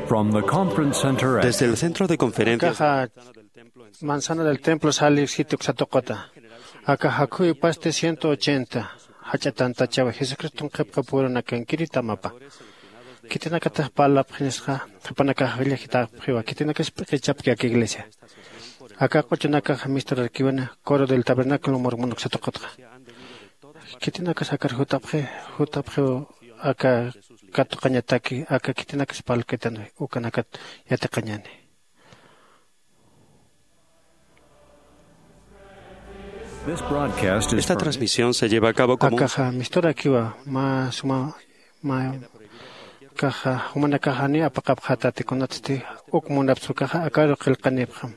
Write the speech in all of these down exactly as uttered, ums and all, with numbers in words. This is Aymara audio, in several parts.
From the conference center at Desde el centro de conferencias Akaxa manzana del templo sali sitio uksa tuquta. Aka jakhuy pasti ciento ochenta jach'a tantachawi Jesucriston qhipqapurunakankiri tamapa. Khitinakatix parlapxinisxa, jupanakax jillajitapxiwa, khitinakas p'iqichapki aka iglesia. Aka q'uchunakax misturarkiwani Coro del Tabernáculo Mormon uksa tuqutxa. Khitinakas akar jutapxi, jutapxiw aka katuqañataki, aka khitinakas parlkitan ukanakat yatiqañani. This broadcast is Esta transmisión se lleva a cabo como un Akaxa misturakiwa, mä suma, mä, akaxa, jumanakax jani apaqapxätati kunatsti uk munapxi ukaxa, akaru qillqanipxam.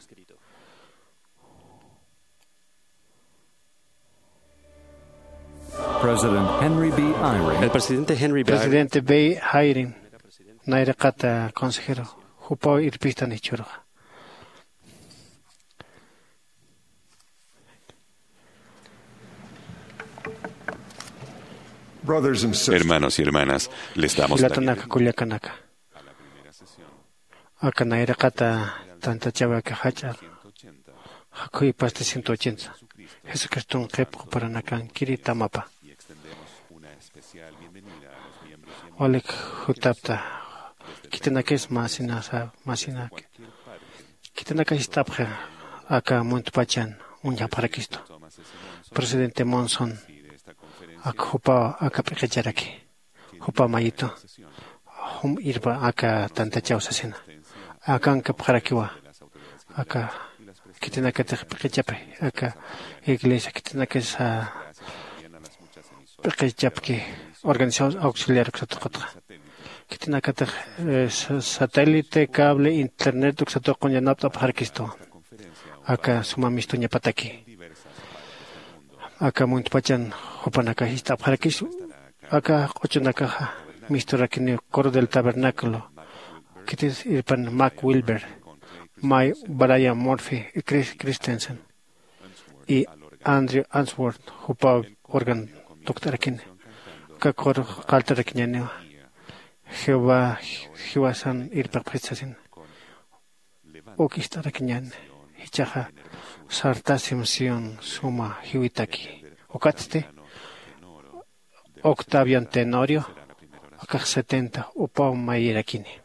President Henry B. Eyring. El presidente Henry B. Eyring. Presidente B. Eyring, nayraqata consejero, jupaw irpistan jichhüruxa. Brothers and sisters, Hermanos y hermanas, les damos la Jilatanaka, bienvenida kullakanaka. A la primera sesión Aka nayraqata tantachawi aka jach'a jakhuy pasti ciento ochenta. Jesucriston qhipqapurunakankiri tamapa. Walik jutapta. Khitinakis masinasa, masinaki. Khitinakas jist'apxi aka muntpachan uñjapxarakistu. Presidente Monson, ak jupaw aka p'iqicharaki. Jupa mayitu, jum irpa aka tantachaw sasina. Akankapxarakiwa. Aka khitinakatix p'iqichapi, aka iglesia khitinakasa p'iqichapki organización auxiliar uksa tuqutxa. Khitinakatix, eh, sa-, satélite, cable, internet uksa tuqun yanapt'apxarakistu. Aka suma mistuñapataki. Aka muntpachan jupanakax jist'apxarakis. Aka q'uchunakaxa misturakini Coro del Tabernáculo, khitis irpan Mac Wilber, May Brian Murphy, y Chris Christensen, y Andrew Answorth, jupaw órgano tukt'arakini. Aka coro qaltarakiñaniwa. Jehová jiwasan irpipxit sasina. Uk ist'arakiñäni, jichhaxa sartasim Sión suma jiwitaki. Ukatsti Octavian Tenorio, akax setenta, jupaw mayirakini.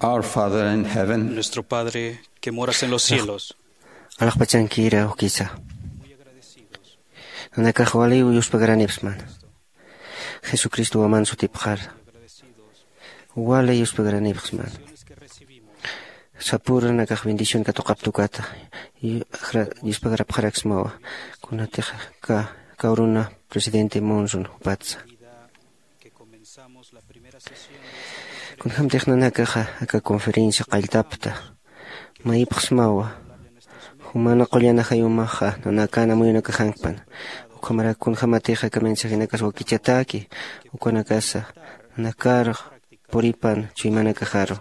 Our Father in heaven, Nuestro Padre que moras en los cielos. Alaxpachankira ukisa. Nanakax wali yuspagaranipsman. Jesucristo waman sutipxar. Wali yuspagaranipxsman. Sapur nanakax bendición katuqaptukata. Yuspagarapxaraksmawa. Kunatix ka kawruna presidente Monson jupatsa. Kunjämtix nanakaxa aka conferencia qalltapta mayipxsmawa. Jumana qullana jayumaxa nanakana muyunakaxankpan. Ukhamarak kunjämatixa aka mensajenakas wakichataki ukanakasa nanakar puripan chuymanakaxaru.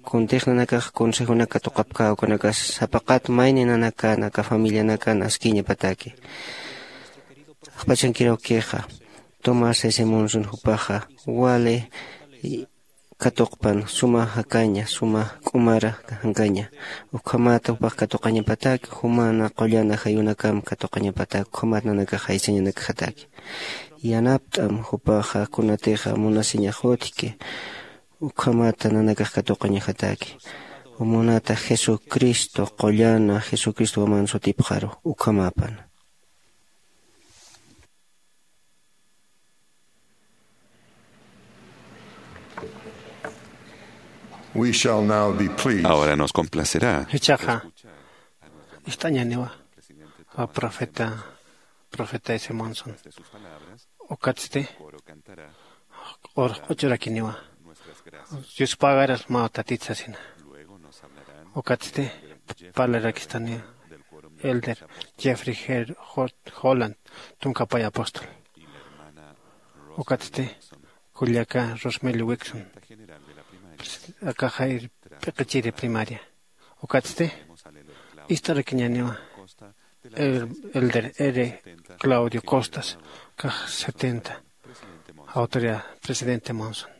Kuntix nanakax consejonaka tuqapkä ukanakasa sapaqat mayni nanakana aka familianakana askiñapataki. Axpachankirawkixa Tomás S Monson jupaxa wali katuqpan suma jakaña suma k'umara jankaña. Ukhamata jupax katuqañapataki jumana qullana jayunakam katuqañapataki ukhamat nanakax jaysañanakxataki. Yanapt'am jupaxa kunatixa munasiñax utjki. Ukhamata nanakax katuqañajataki. Umunata jesucristo qullana jesucristo waman sutipxaru. Ukhamapan. We shall now be pleased. Ahora nos complacerá. Jichhaxa ist'añaniwa a profeta profeta ese monson. Ukatsti q'urq'uchurakiniwa. Yuspagaras maw tatit sasina. Ukatsti parlarakistaniwa elder jeffrey holland, tunkapay apóstol. Ukatsti kullaka rosmel wixon akaxay p'iqichiri primaria. Ukatsti ist'arakiñaniwa elder r claudio costas kax setenta autoridad presidente monson.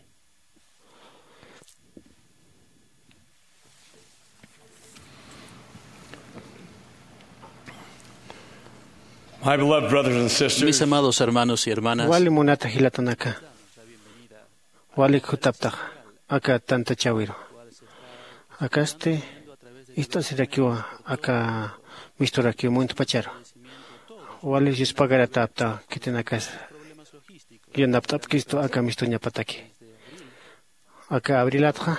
Mis amados hermanos y hermanas, wali munata jilatanaka walik jutaptaxa aka tantachawiru. Akasti ist'asirakiwa aka misturakiw muntpacharu. Wali yuspagaratäpta khitinakasa yanapt'apkistu aka mistuñapataki. Aka abrilatxa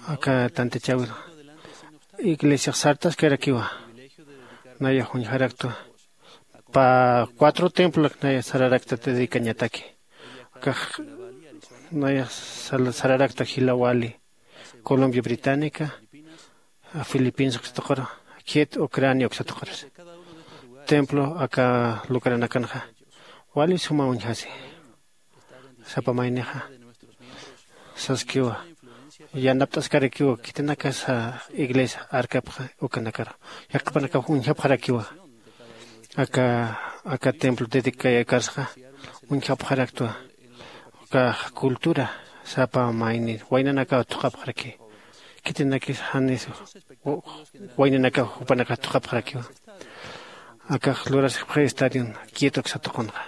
aka tantachawiru iglesiax sartaskarakiwa. Nayax uñjaraktu pa cuatro templolak naya sararakta dedicañataki. Kax nayax sararakta jila wali colombia británica, filipinas uksatuqaru, kiet ucrania uksatuqaras. Templo aka lugaranakanxa wali suma uñjasi. Sapa maynixa saskiwa yanapt'askarakiwa khitinakasa iglesia arkapxa ukanakaru. Yaqhipanakaw uñjapxarakiwa aka aka templo dedicayakarsxa uñjapxaraktwa. Ukax cultura sapa mayni waynanakaw thuqhapxaraki. Khitinakis janis waynanakaw jupanakax thuqhapxarakiwa. Akax luraskpxi estadion quieto uksatuqunxa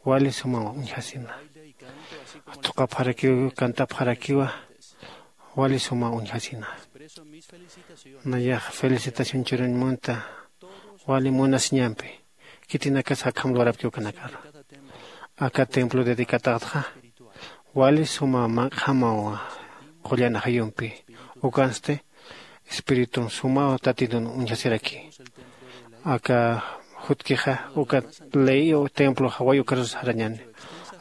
wali suma uñjasina. Thuqhapxarakiw cantapxarakiwa wali suma uñjasina. Nayax felicitación churuñ munta wali munasiñampi. Khitinakas akham lurapki ukanakaru aka templo dedicataxtxa wali suma manq'jamaw qullan ajayumpi. Ukansti espiritun sumaw tatitun uñjasiraki. Aka jutkixa uka ley templo jaway ukarus jarañani.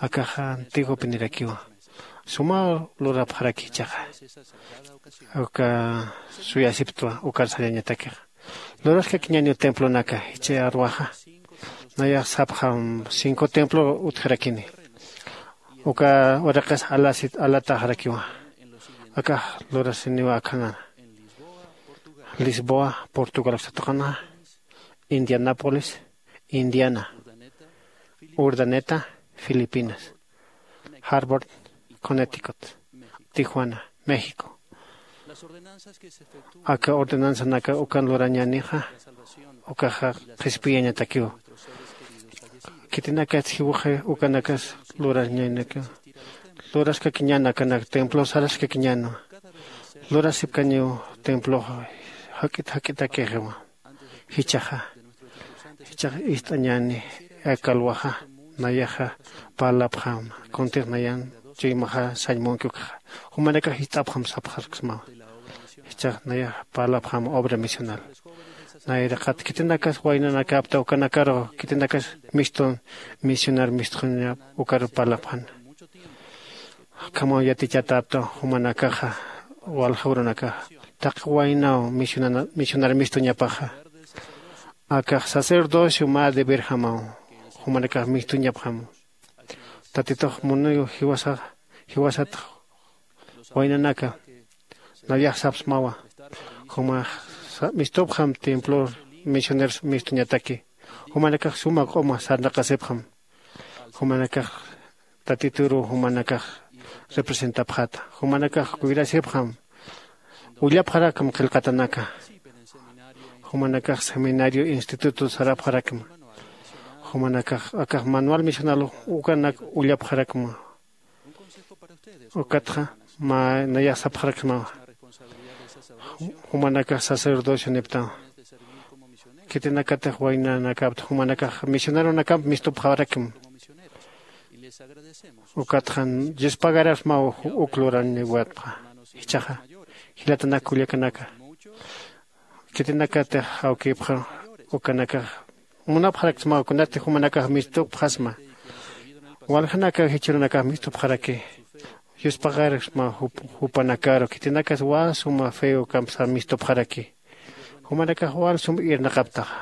Akaxa antiguo pinirakiwa sumaw lurapxaraki jichhaxa uka suyasiptwa ukarus jarañatakixa. Luraskakiñaniw templonaka jichha arwaxa. Nayax sapxam cinco templo utjarakini. Uka uraqis alasit alataxarakiwa. Akax lurasiniwa akhanana lisboa portugal uksatuqanxa, indianapolis, indiana, urdaneta, filipinas, harvard, connecticut, tijuana, méxico. Aka ordenanzanaka ukan lurañanixa ukaxa qhispiyañatakiwa. Khitinakatsi jiwxi ukanakas lurañanikiwa. Luraskakiñan akanak templo saraskakiñanwa. lurasipkañiw temploxa jak'it jak'itakixiwa. Jichhaxa jichhax ist'añäni aka alwaxa nayaxa parlapxäma kuntix nayan chuymaxa sañ munki ukxa. Jumanakax jist'apxam sapxarksmawa. Jichhax nayax parlapxäma obra misional. Nayraqat khitinakas waynanakäpta ukanakaru khitinakas mistun misionar mistxuñap ukaru parlapxäna. Akhamaw yatichatäpta jumanakaxa walja urunakaxa taqi waynaw misionar mistuñapaxa. Akax sacerdocio mä deberjamaw jumanakax mistuñapxam. Tatitux muniw jiwasax jiwasatx waynanaka nayax sapsmawa. Jumax mistupxam templor misioneros mistuñataki. Jumanakax suma q'uma sarnaqasipxam. Jumanakax tatituru jumanakax representapxata. Jumanakax cuidasipxam. Ullapxarakam qillqatanaka. Jumanakax seminario instituto sarapxarakma. Jumanakax akax manual misional ukanak ullapxarakma. Ukatxa mä nayax sapxarakma. Jumanakax sacerdocio niptawa. Khitinakatix waynanakapta jumanakax misioneronakamp mistupxarakma. Ukatxa yuspagarasmaw uk luraniwatpxa. Jichhaxa jilatanak kullakanaka khitinakatix awkipxa ukanakax munapxaraksmaw kunatix jumanakax mistupxasma. Waljanakaw jichhürunakax mistupxaraki. Yuspaxaraksmaw jupanakaru khitinakas wal suma feo kampsa mistupxaraki. Jumanakax wal sum irnaqaptaxa.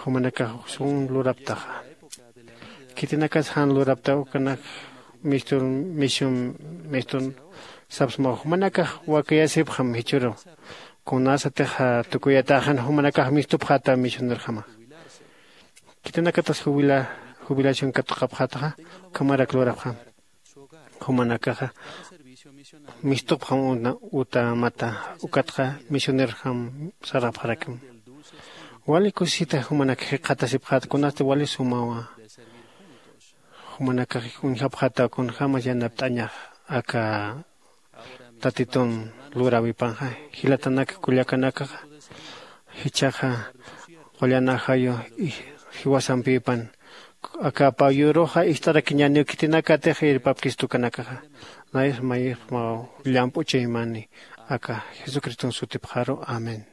Jumanakax sum luraptaxa. Khitinakas jan lurapta ukanak mistun misium mistun sapsmaw jumanakax wakayasipxam jichhüru. Kunasatix tukuyatäxan jumanakax mistupxäta misionerjama. Khitinakatas jubila jubilación katuqapxätaxa ukhamarak lurapxam. Jumanakaxa mistupxam utamata. Ukatxa misionerjam sarapxarakma. Wali kusisita jumanak jikxatasipxäta kunasti wali sumawa. Jumanakax uñjapxäta kunjämas yanapt'añax aka tatitun luräwipanxa. Jilatanak kullakanakaxa jichhaxa qullan ajayu jiwasampipan aka payuruxa ist'arakiñäniw khitinakatix irpapkista ukanakaxa. Nayas mayixmaw llamp'u chuymani aka jesucriston sutipxaru. Amén.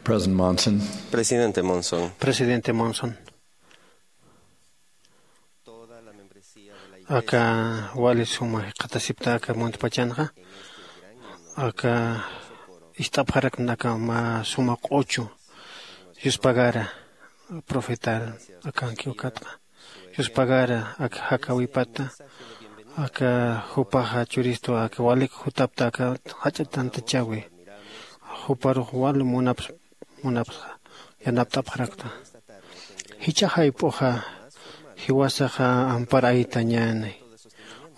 President Monson. Presidente Monson. Presidente Monson. Aka wali suma jikxatasipta aka muntpachanxa, aka ist'apxarakna aka mä suma q'uchu yuspagara profetar akanki ukatxa. Yuspagara aka jakawipata, aka jupaxa churistu aka walik jutapta aka jach'a tantachäwi. Juparux wal munaps munapsa yanapt'apxarakta. Jichha jayp'uxa jiwasaxa amparaytañäni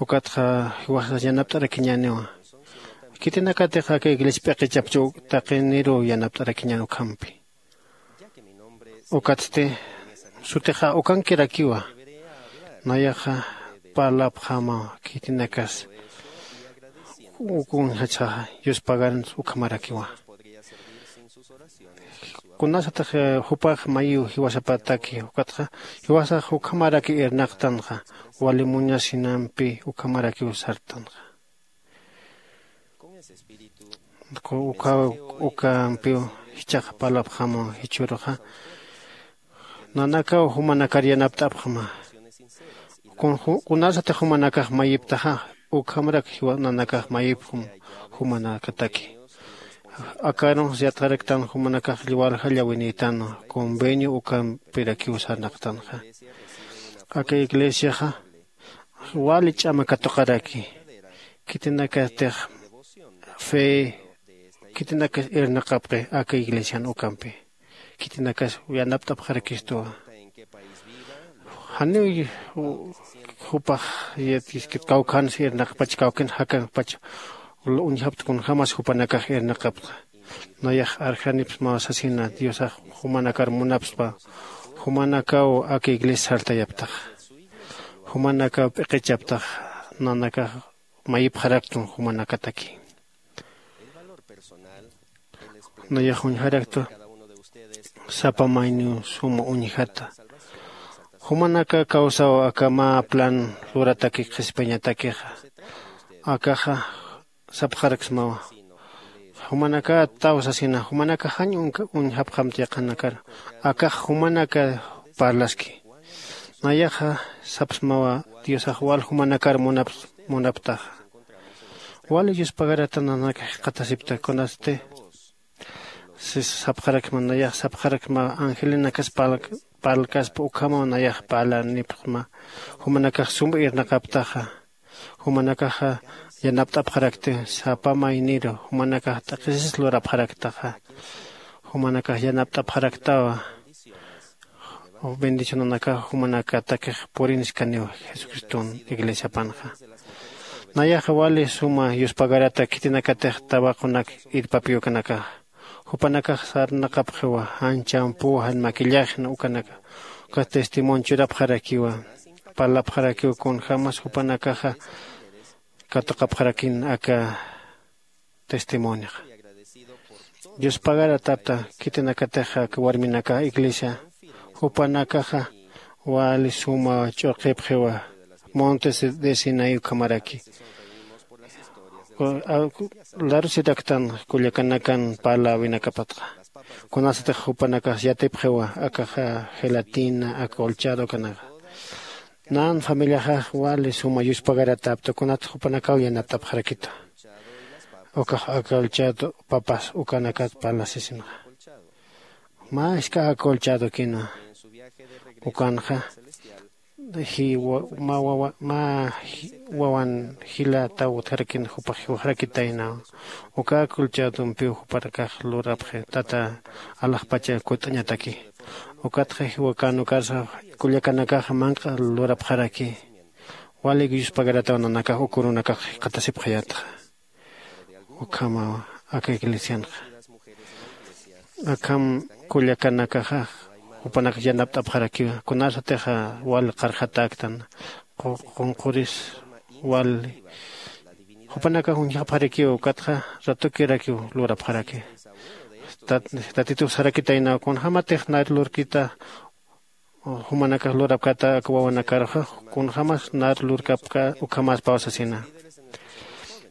ukatxa jiwasax yanapt'arakiñäniwa. Khitinakatix aka iglesia p'iqichapchu taqiniruw yanapt'arakiñän ukhampi. Ukatsti sutixa ukankirakiwa. Nayaxa parlapxama khitinakas ukunxachaxa yuspagaran ukhamarakiwa. Kunasatix jupax mayiw jiwasapataki ukatxa jiwasax ukhamaraki irnaqtanxa wali muñasinampi ukhamarakiw sartanxa. Uka ukampiw jichhax parlapxama jichhüruxa nanakaw jumanakar yanapt'apxama. Kunasatix jumanakax mayiptaxa ukhamarak nanakax mayipxam jumanakataki. Akarunx yatxaraktan jumanakax walja llawinïtan convenio ukampirakiw sarnaqtanxa. Aka iglesiaxa wali ch'ama katuqaraki. Khitinakatix fe khitinakas irnaqapxi aka iglesian ukampi. Khitinakas yanapt'apxarakistuwa. Janiw jupax kawkhansa irnaqpach kawkin jakankpach uñjapta kunjämas jupanakax irnaqapta. Nayax arjanipsmaw sasina diosax jumanakar munapspa. Jumanakaw aka iglesia sartayaptax. Jumanakaw p'iqichaptax nanakax mayipxaraktun jumanakataki. Nayax uñjaraktu sapa mayniw suma uñjata. Jumanaka kawsaw aka mä plan lurataki qhispiyañatakixa. Akaxa sapxaraksmawa. Jumanaka taw sasina jumanaka jañ uñjapxamti yaqhanakar. Akax jumanaka parlaski. Nayaxa sapsmawa diosax wal jumanakar munaptaxa. Wali yuspagarata nanaka jikxatasipta kunasti. Sis sapxarakma nayax sapxarakma angelinakas parlkaspa ukhamaw nayax parlanipxma. Jumanakax sum irnaqaptaxa. Jumanakaxa yanapt'apxarakti sapa mayniru jumanakax t'aqhisis lurapxaraktaxa. Jumanakax yanapt'apxaraktawa. Bendicionanakax jumanakatakix purinskaniw jesucriston iglesiapanxa. Nayaxa wali suma yuspagarata khitinakatix tawaqunak irpapiw ukanakaxa. Jupanakax sarnaqapxiwa jan champüw jan maquillajen ukanaka. Uka testimonio churapxarakiwa. Parlapxarakiw kunjämas jupanakaxa katuqapxarakin aka testimonioxa. Dios pagaratapta khitinakatix aka warminakax iglesia jupanakaxa wali suma ch'urqipxiwa. Montes de sinaí ukhamaraki larusiraktan kullakanakan parläwinakapatxa. Kunasatix jupanakax yatipxiwa akaxa gelatina aka olchado ukanaxa. Nan familiaxax wali suma yuspagaratäpta kunatix jupanakaw yanapt'apxarakita. Ukax aka olchado papas ukanakat parlasisinxa. Mä jisk'a aka olchadokina ukanxa mä wawan jilataw utjarakina jupax jiwaxarakitaynaw. Uka aka olchadompiw jupanakax lurapxi tata alaxpacha kut'añataki. Ukatxa jiwakan ukarsa kullakanakaxa manq'a lurapxaraki. Wali yuspagarataw nanakax ukurunakax jikxatasipxayätxa. Ukhamaw aka iglesianxa akham kullakanakaxa jupanakax yanapt'apxarakiwa kunasatixa wal qarxatäktan qunquris wal jupanakax uñjapxarakiwa ukatxa ratukirakiw lurapxaraki. Tatitux sarakitaynaw kunjämatix nar lurkita jumanakax lurapkata aka wawanakaruxa kunjämas nar lurkapka ukhamäspaw sasina.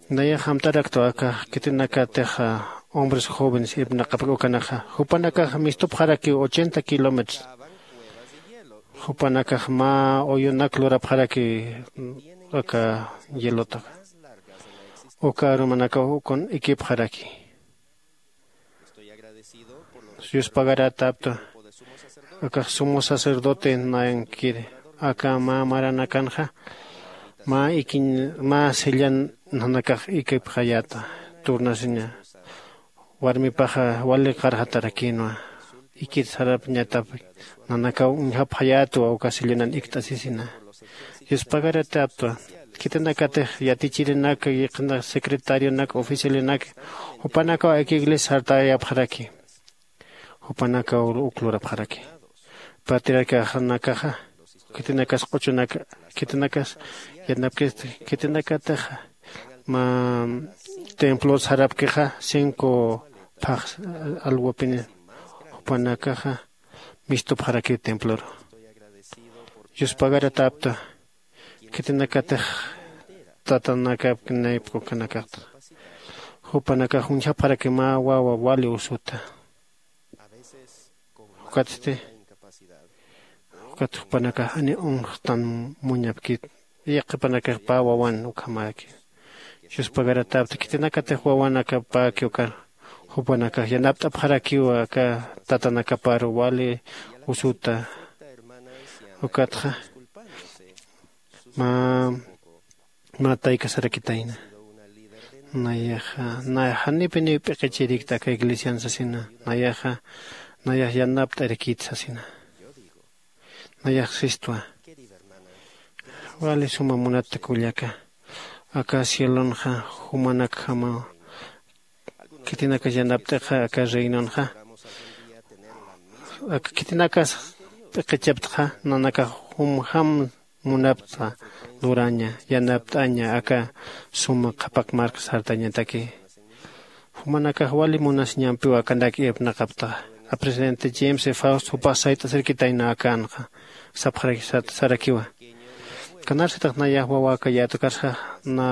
Nayax amtaraktwa aka khitinakatixa hombres jóvenes irpnaqapki ukanaxa jupanakax mistupxarakiw ochenta kilómetros. Jupanakax mä uyunak lurapxaraki aka hielotaxa. Uka arumanakaw ukun ikipxaraki. Yuspagaratapta akax sumo sacerdote nayankiri aka mä maranakanxa mä ikiñ mä sellan nanakax ikipxayäta. Turnasiña warmipaxa wali qarxatarakïnwa. Ikit sarapñatap nanakaw uñjapxayätwa uka sellonan ikt'asisina. Yuspagarataptwa khitinakatix yatichirinak yaqhina secretarionak oficialionak jupanakaw aka iglesia sartayapxaraki. Jupanakaw uk lurapxaraki patriarcaxanakaxa. Khitinakas q'uchunak khitinakas yanapkisti khitinakatixa mä templor sarapkixa cinco phax alwapini jupanakaxa mistupxaraki templor. Yuspagaratapta khitinakatix tatanakapkinaypkukanakaqta jupanakax uñjapxaraki mä wawa wali usuta. Ukatsti ukat jupanakax ani unxtan muñapkit yaqhipanakax pä wawan ukhamäki. Yuspagaratapta khitinakatix wawanakapäki ukar jupanakax yanapt'apxarakiwa aka tatanakaparu wali usuta. Ukatxa mä mä taykasarakitayna. Nayaxa nay janipiniw p'iqichirikta aka iglesian sasina. Nayaxa nayax yanapt'arakit sasina. Nayax sistwa wali suma munat kullaka aka cielonxa jumanakjamaw khitinakas yanapt'ixa aka reinonxa. Aka khitinakas p'iqichaptxa nanakax jumjam munaptxa luraña yanapt'aña aka suma qhapak marka sartañataki. Jumanakax wali munasiñampiw akanak irpnaqaptaxa. A presidente james e faust jupax sayt'asirkitayna akanxa sapxarak sarakiwa. Kanarsatax nayax wawakayätukarsax na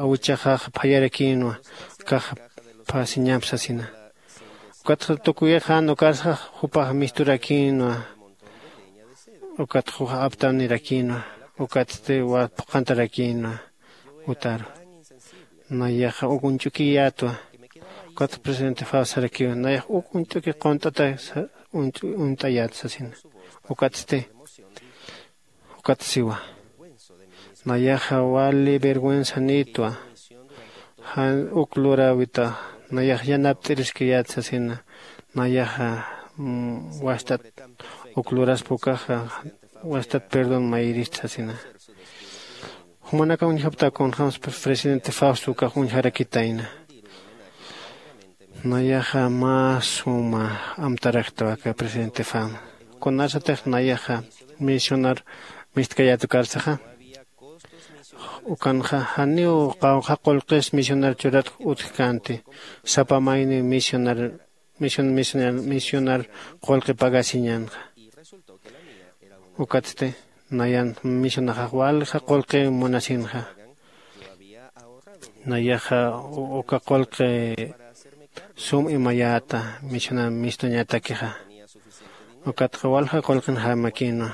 awichaxax phayarakïnwa kax phasiñamp sasina. Ukatxa tukuyixan ukarsax jupax misturakïnwa. Ukat juxa aptanirakïnwa. Ukatsti phuqhantarakïnwa. Utaru nayaxa uk uñch'ukiyätwa. Ukat presidente faust sarakiwa nayax uk uñt'uki qunt'ata uñt'ayät sasina. Ukatsti ukat siwa nayaxa wali vergüenza nitwa. Jan uk luräwita nayax yanapt'iriskiyät sasina. Nayaxa wast'at uk luraspa ukaxa wast'at perdón mayirist sasina. Jumanakax uñjapta kunjämsa presidente fausto ukax uñjarakitayna. Nayaxa mä suma amtaraktwa aka presidente fausto. Kunarsatix nayaxa misionar mistkayätukarsaxa ukanxa janiw qawqha qullqis misionar churatk utjkänti. Sapa mayniw misionar misionar qullqi pagasiñänxa. Ukatsti nayan misionaxax walja qullqi munasinxa. Nayaxa uka qullqi sum imayäta misionar mistuñatakixa. Ukatxa walja qullqin jamakïnwa.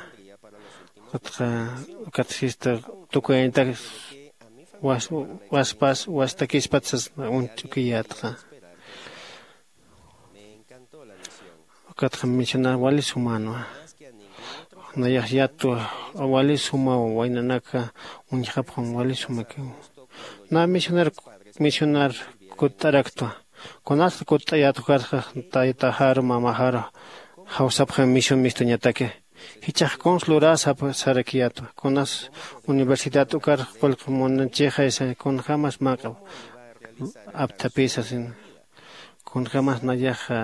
Ukatxa ukat sista tukuyañatak waspas wastakispat sas uñch'ukiyätxa. Ukatxa misionar wali sumänwa. Nayax yatwa wali sumaw waynanaka uñjapxam wali sumakiw. Na misionar misionar kutt'araktwa. Kunasta kutt'ayät ukarxa taytaxaru mamaxaru jawsapxam misión mistuñataki. Jichhax kuns luräsap sarakiyätwa kunas universidad ukar qullqi munachixaysa kunjämas mä apthapï sasina. Kunjämas nayaxa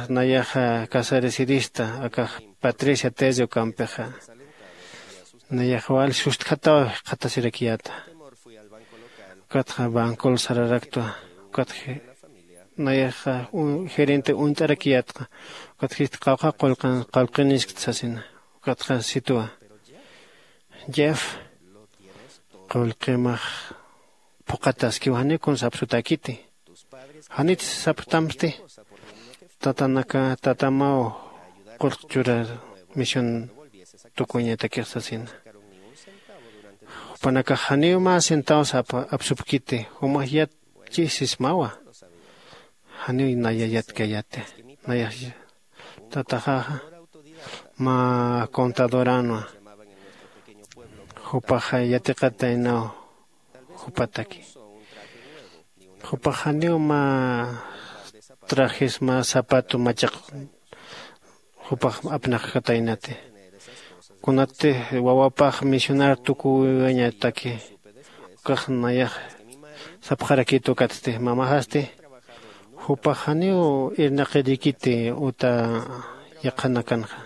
nayaxa casaresirista akax patricia tezio kampixa. Nayax wal sustjataw jikxatasirakiyäta. Ukatxa bancol sararaktwa. Ukatxa nayaxa gerente uñt'arakiyätxa. Ukatxa jist qawqha qullqiniskta sasina. Ukatxa sitwa jeff qullqimax phuqhataskiw janiw kuns apsutäkiti. Janit sapxtamsti tatanaka tatamaw qullq churar misión tukuñatakix sasina. Jupanakax janiw mä centavos apsupkiti, jumax yatchi sismawa. Janiw naya yatkayati. Nayax tataxaxa mä contadoränwa. Jupaxa yatiqataynaw jupataki. Jupax janiw mä trajes mä zapato machaq jupax apnaqkataynati. Kunatti wawapax misionar tukuwiwañataki ukax nayax sapxarakit ukatsti mamaxasti jupax janiw irnaqirikiti uta yaqhanakanxa.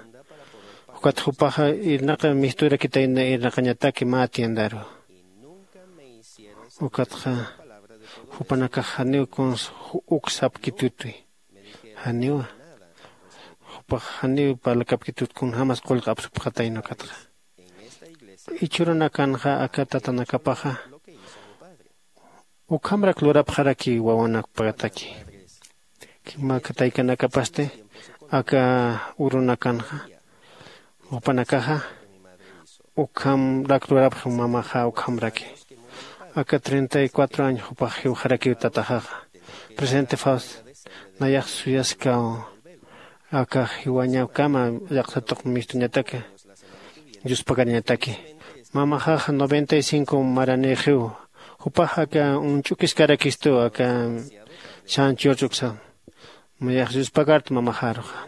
Ukat jupaxa irnaqi misturakitayna irnaqañataki mä tiendaru. Ukatxa jupanakax janiw kuns uk sapkitutwi. Janiwa jupax janiw parlakapkitut kunjämas qullq apsupxatayna ukatxa. Ichhurunakanxa aka tatanakapaxa ukhamrak lurapxaraki wawanakpataki. Kimaka taykanakapasti aka urunakanxa jupanakaxa ukhamrak lurapxi mamaxa ukhamraki. Aka treinta y cuatro años jupax jiwxarakiw tataxaxa. Presidente faust nayax suyaskaw aka jiwañakama llaqsatuq mistuñataki. Yuspagarañataki mamaxaxa noventa y cinco maranixiw. Jupax aka unch'ukiskarakistu aka chanchurch'uksa. Mayax yuspagarta mamaxaruxa.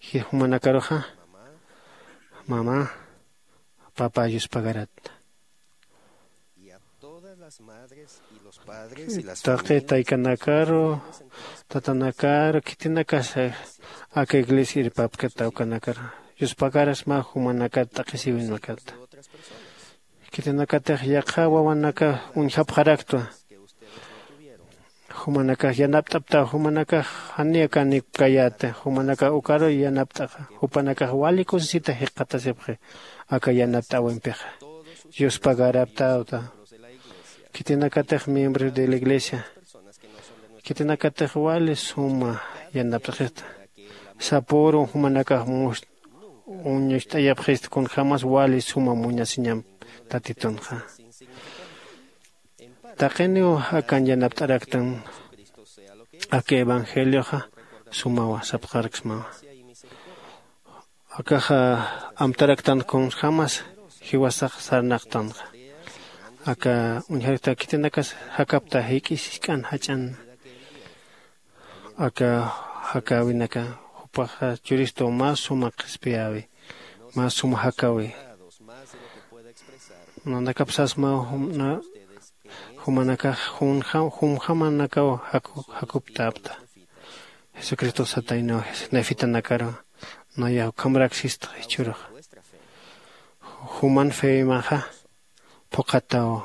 Jumanakaruxa mama papa yuspagaratta. Taqi taykanakaru tatanakaru khitinakas aka iglesia irpapkata ukanakar yuspagarasma jumanakat t'aqhisiwinakata. Khitinakatix yaqha wawanaka uñjapxaraktwa. Jumanakax yanapt'aptaw jumanakax janiw kanikpkayäta. Jumanakax ukaruw yanapt'axa jupanakax wali kusisita jikxatasipxi. Aka yanapt'äwimpixa yuspagaraptäwta. Khitinakatix miembros de la iglesia khitinakatix wali suma yanapt'xista. Sapüru jumanakax uñucht'ayapxista kunjämas wali suma muñasiñamp tatitunxa. Taqiniw akan yanapt'araktan aka evangelioxa sumawa sapxaraksmawa. Akaxa amtaraktan kunjämas jiwasax sarnaqtanxa. Aka uñjarakta khitinakas jakapta jik'is jisk'an jach'an. Aka jakäwinaka jupaxa churistu mä suma qhispiyäwi mä suma jakäwi. Nanakap sasmaw jumanakax jumjamanakaw jakuptäpta. Jesucristox sataynaw nefitanakaru nayax ukhamrak sistxa jichhüruxa. Juman feymaxa phuqhataw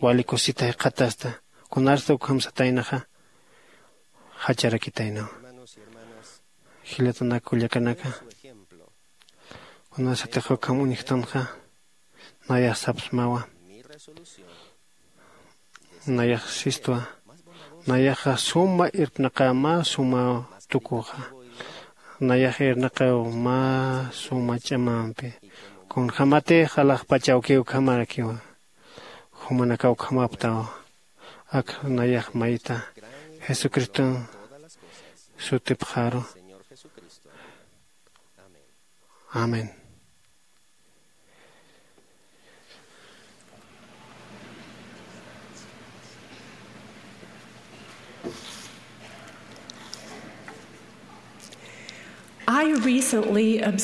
wali kusisita jikxatasta. Kunarsta ukham sataynaxa jacharakitaynaw. Jilatanak kullakanaka kunasatix ukham uñjtanxa nayax sapsmawa. Nayax sistwa nayaxa suma irpnaqä mä suma tukuxa. Nayax irnaqäw mä suma ch'amampi kunjämatix alaxpach awkiw ukhamarakiwa. Jumanakaw ukhamaptaw. Ak nayax mayta jesucriston sutipxaru. Amén.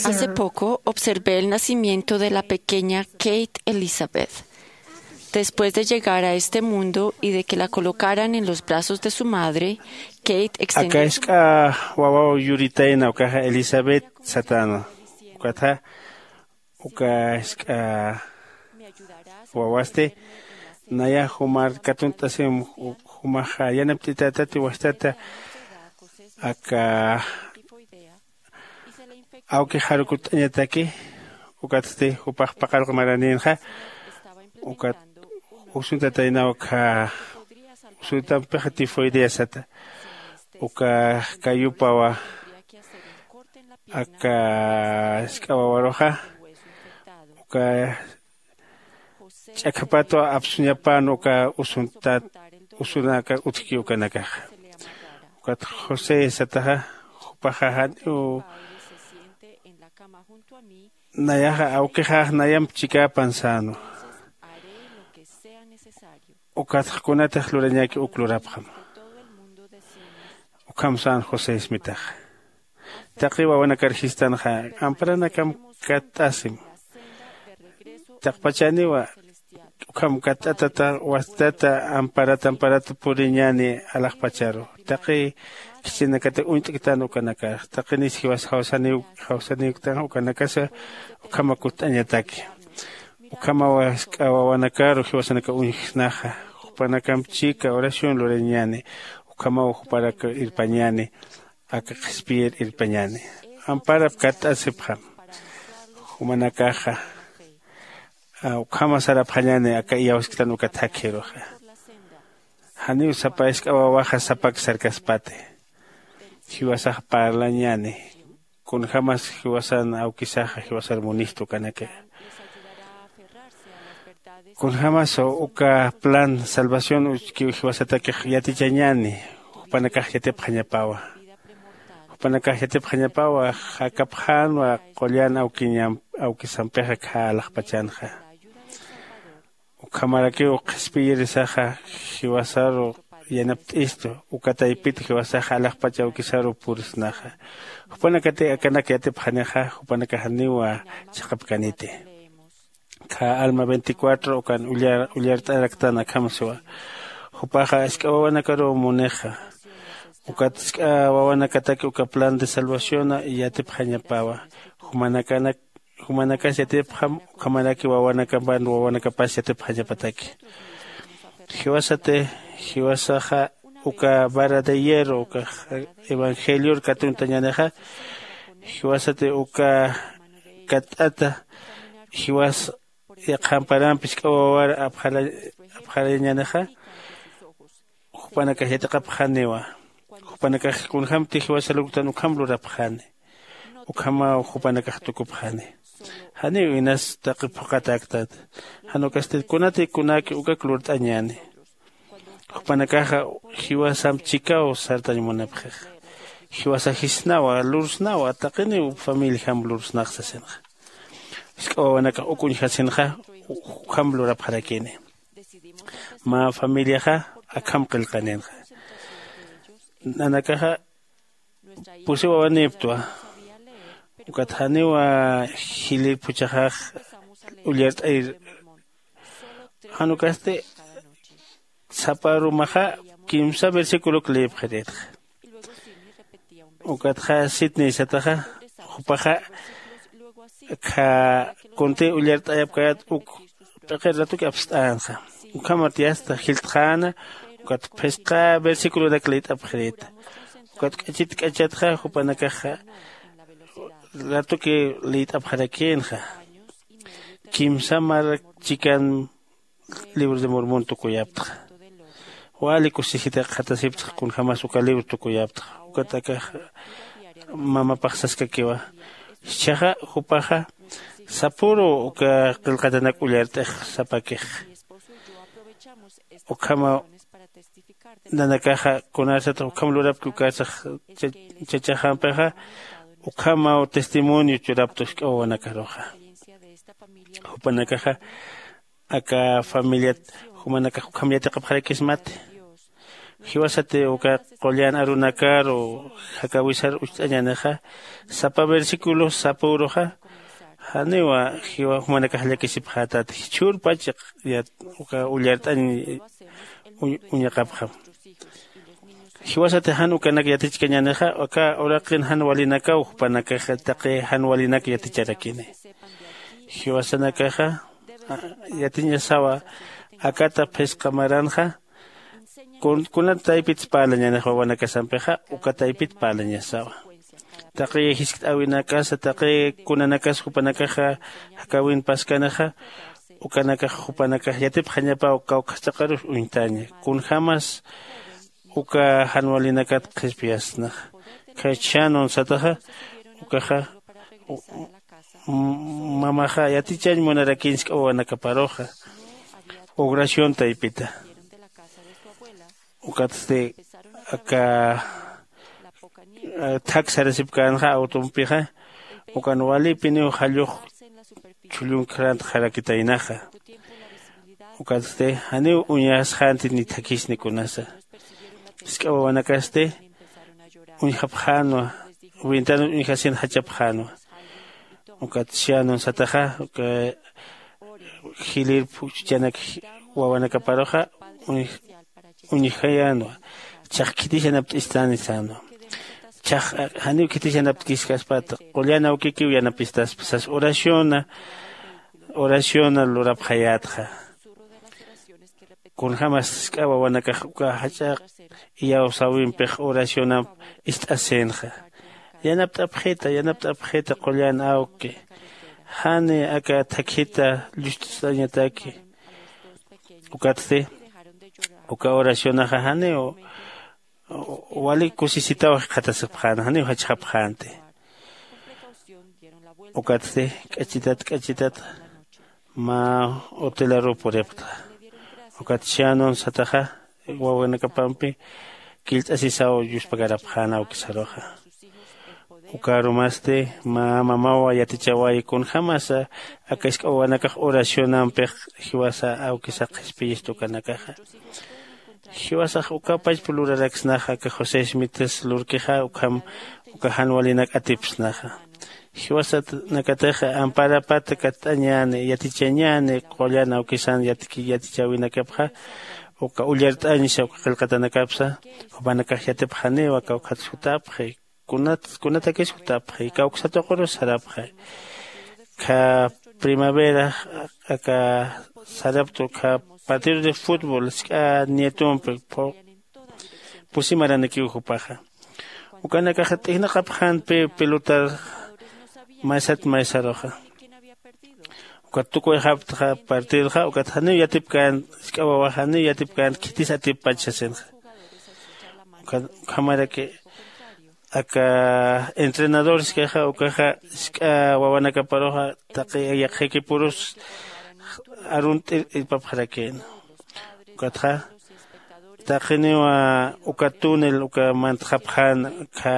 Hace poco observé el nacimiento de la pequeña Kate Elizabeth. Después de llegar a este mundo y de que la colocaran en los brazos de su madre, Kate extendió su... Aka jisk'a wawaw yuritayna ukaxa Elizabeth satäna. Ukatxa uka jisk'a wawasti nayax jumar katunt'asim jumax yanapt'itätati wastata aka awki jarukut'añataki. Ukatsti jupax paqallq maranïnxa ukat usuntataynaw aka usutampixa tifoidea sata. Uka kayupawa aka sk'awawaruxa uka ch'akhapatwa apsuñapan uka usuntat usunaka utjki ukanakaxa. Ukat josé sataxa jupaxa janiw nayaxa awkixax nayamp chikäpan sänwa. Ukatxa kunatix lurañäki uk lurapxam. Ukham sän josé ismitaxa. Taqi wawanakar jistanxa amparanakam katt'asim. Taqpachaniwa ukham katt'atata wastata amparata amparata puriñäni alaxpacharu. Taqi khichinakati uñt'ktan ukanakar taqi nis jiwas jawsaniw jawsaniwktan ukanakasa ukhama kutt'añataki. Ukhamawa sk'a wawanakaru jiwasanaka uñjsnaxa. Jupanakamp chika oración lurañäni. Ukhamaw juparak irpañäni. Aka qhispiyir irpañäni amparap katt'asipxam. Jumanakaxa ukhama sarapxañäni aka iyawsktan uka thakhiruxa. Janiw sapa isk'a wawaxa sapak sarkaspati. Jiwasax parlañäni. Kunjämas jiwasan awkisaxa jiwasar munistu kanaka. Kunjämas uka plan salvación uchkiw jiwasatakix yatichañäni. Jupanakax yatipxañapawa. Jupanakax yatipxañapawa jakapxänwa qullan awkiñam awkisampixa khä alaxpachanxa. Ukhamarakiw qhispiyirisaxa jiwasaru yanapt'istu. Uka taypit jiwasaxa alaxpach awkisaru purisnaxa. Jupanakati akanak yatipxanixa jupanakax janiwa chiqapkaniti. Khä alma veinticuatro ukan ullart'araktan akham siwa. Jupaxa isk'a wawanakaruw munixa. Ukat isk'a wawanakataki uka plan de salvaciona yatipxañapawa. Jumanakanak jumanakas yatipxam ukhamaraki wawanakampan wawanakapas yatipxañapataki. Jiwasati jiwasaxa uka vara de hierro uka evangelior katuntañänixa. Jiwasati uka katt'ata jiwas yaqhamparampi isk'a wawar apxarañänixa. Jupanakax yatiqapxaniwa. Jupanakax kunjämti jiwasa lurktan ukham lurapxani. Ukhamaw jupanakax tukupxani. Janiw inas taqi phuqhatäktat. Jan ukasti kunati kunäki ukak lurt'añäni. Jupanakaxa jiwasamp chikaw sartañ munapxixa. Jiwasa jisnawa lursnawa taqiniw familijamp lursnax sasinxa. Jisk'a wawanakax uk uñjasinxa ukham lurapxarakini. Mä familiaxa akham qillqaninxa. Nanakaxa pusi wawanïptwa. Ukat janiwa jilïr phuchhaxax ullart'ayir. Jan ukasti sapa arumaxa kimsa versiculok lïpxirïtxa. Ukatxa sitnïsataxa jupaxa akha kuntï ullart'ayapkäyät uk p'iqir ratuki apst'änxa. Ukhamat yasta jiltxäna ukat phisqa versiculonak lït'apxirïta. Ukat k'achit k'achatxa jupanakaxa ratuki lït'apxarakïnxa. Kimsa marak chikan libro de mormón tukuyaptxa. Wali kusisita qhatasiptxa kunjämas uka libro tukuyaptxa. Ukat akax mamapax saskakiwa. Jichhaxa jupaxa sapüru uka qillqatanak ullart'ix sapakix. Ukhamaw nanakaxa kunarsatix ukham lurapki ukarsax chachaxampixa. Ukhamaw testimonio churaptu jisk'a wawanakaruxa. Jupanakaxa aka familiat jumanakax ukham yatiqapxarakismati. Jiwasati uka qullan arunakaru jakäwisar ucht'añänixa sapa versiculo sapüruxa janiwa jiwa jumanakax llakisipxätati jichhürpach uka ullart'añ uñaqapxam. Jiwasati jan ukanak yatichkañänixa aka uraqin jan walinakaw jupanakaxa taqi jan walinak yaticharakini. Jiwasanakaxa yatiñasawa akata phisqa maranxa. Kunat taypitsa parlañänixa wawanakasampixa uka taypit parlañasawa. Taqi jiskt'äwinakasa taqi kunanakas jupanakaxa jakäwin paskanixa ukanakax jupanakax yatipxañapaw kawkhachaqarus uñtaña. Kunjämas uka jan walinakat qhispiyasnaxa. Khaychhan unsataxa ukaxa mamaxa yatichañ munarakiñ jisk'a wawanakaparuxa oración taypita. Ukatsti aka thak sarasipkänxa awtumpixa ukan walipiniw jallux chhullunkarant jarakitaynaxa. Ukatsti janiw uñasxänti ni thakhisni kunasa. Jisk'a wawanakasti uñjapxänwa. Ventanas uñjasin jachapxänwa. Ukat siyanun sataxa uka jilïr phuchhuchanak wawanakaparuxa uñjayänwa. Chax khitis yanapt'istani sänwa. Chax janiw khitis yanapt'kiskaspata qullan awkikiw yanapistaspa sas oraciona oraciona lurapxayätxa. Kunjämas jisk'a wawanakax uka jach'a iyawsäwimpix oracionamp ist'asïnxa. Yanapt'apxita yanapt'apxita qullan awki. Jani aka thakhita llust'añataki. Ukatsti uka oracionaxa janiw wali kusisitaw jikxatasipxän janiw jachxapxänti. Ukatsti k'achitat k'achitat mä hotelaruw puripxta. Ukat siyanun sataxa wawanakapampi killt'asisaw yuspagarapxän awkisaruxa. Ukarumasti mä mamawa yatichawayi kunjämasa aka jisk'a wawanakax oracionampix jiwasa awkisa qhispiyista ukanakaxa. Jiwasax ukapachpa luraraksnaxa aka josé smitas lurkixa ukham uka jan walinak atipsnaxa. Jiwasanakatix amparapat katt'añäni yatichañäni qullan awkisan yatichäwinakapxa uka ullart'añsa uka qillqatanakapsa jupanakax yatipxaniw aka ukhat jutapxi. Kunatakis jutapxi kawksa tuqurus sarapxi. Kha primavera aka saraptu kha partido de futbol jisk'a nietompi pusi maranikiw jupaxa. Ukanakaxa t'ijnaqapxänpi pelotar maysat maysaruxa. Ukat tukuyxaptxa partidoxa ukat janiw yatipkän jisk'a wawax janiw yatipkän khitis atippach sasinxa. Ukhamaraki aka entrenador jisk'axa ukaxa jisk'a wawanakaparuxa taqi yaqhikipurus arunt'ir irpapxarakïna. Ukatxa taqiniw uka túnel uka mantxapxän kha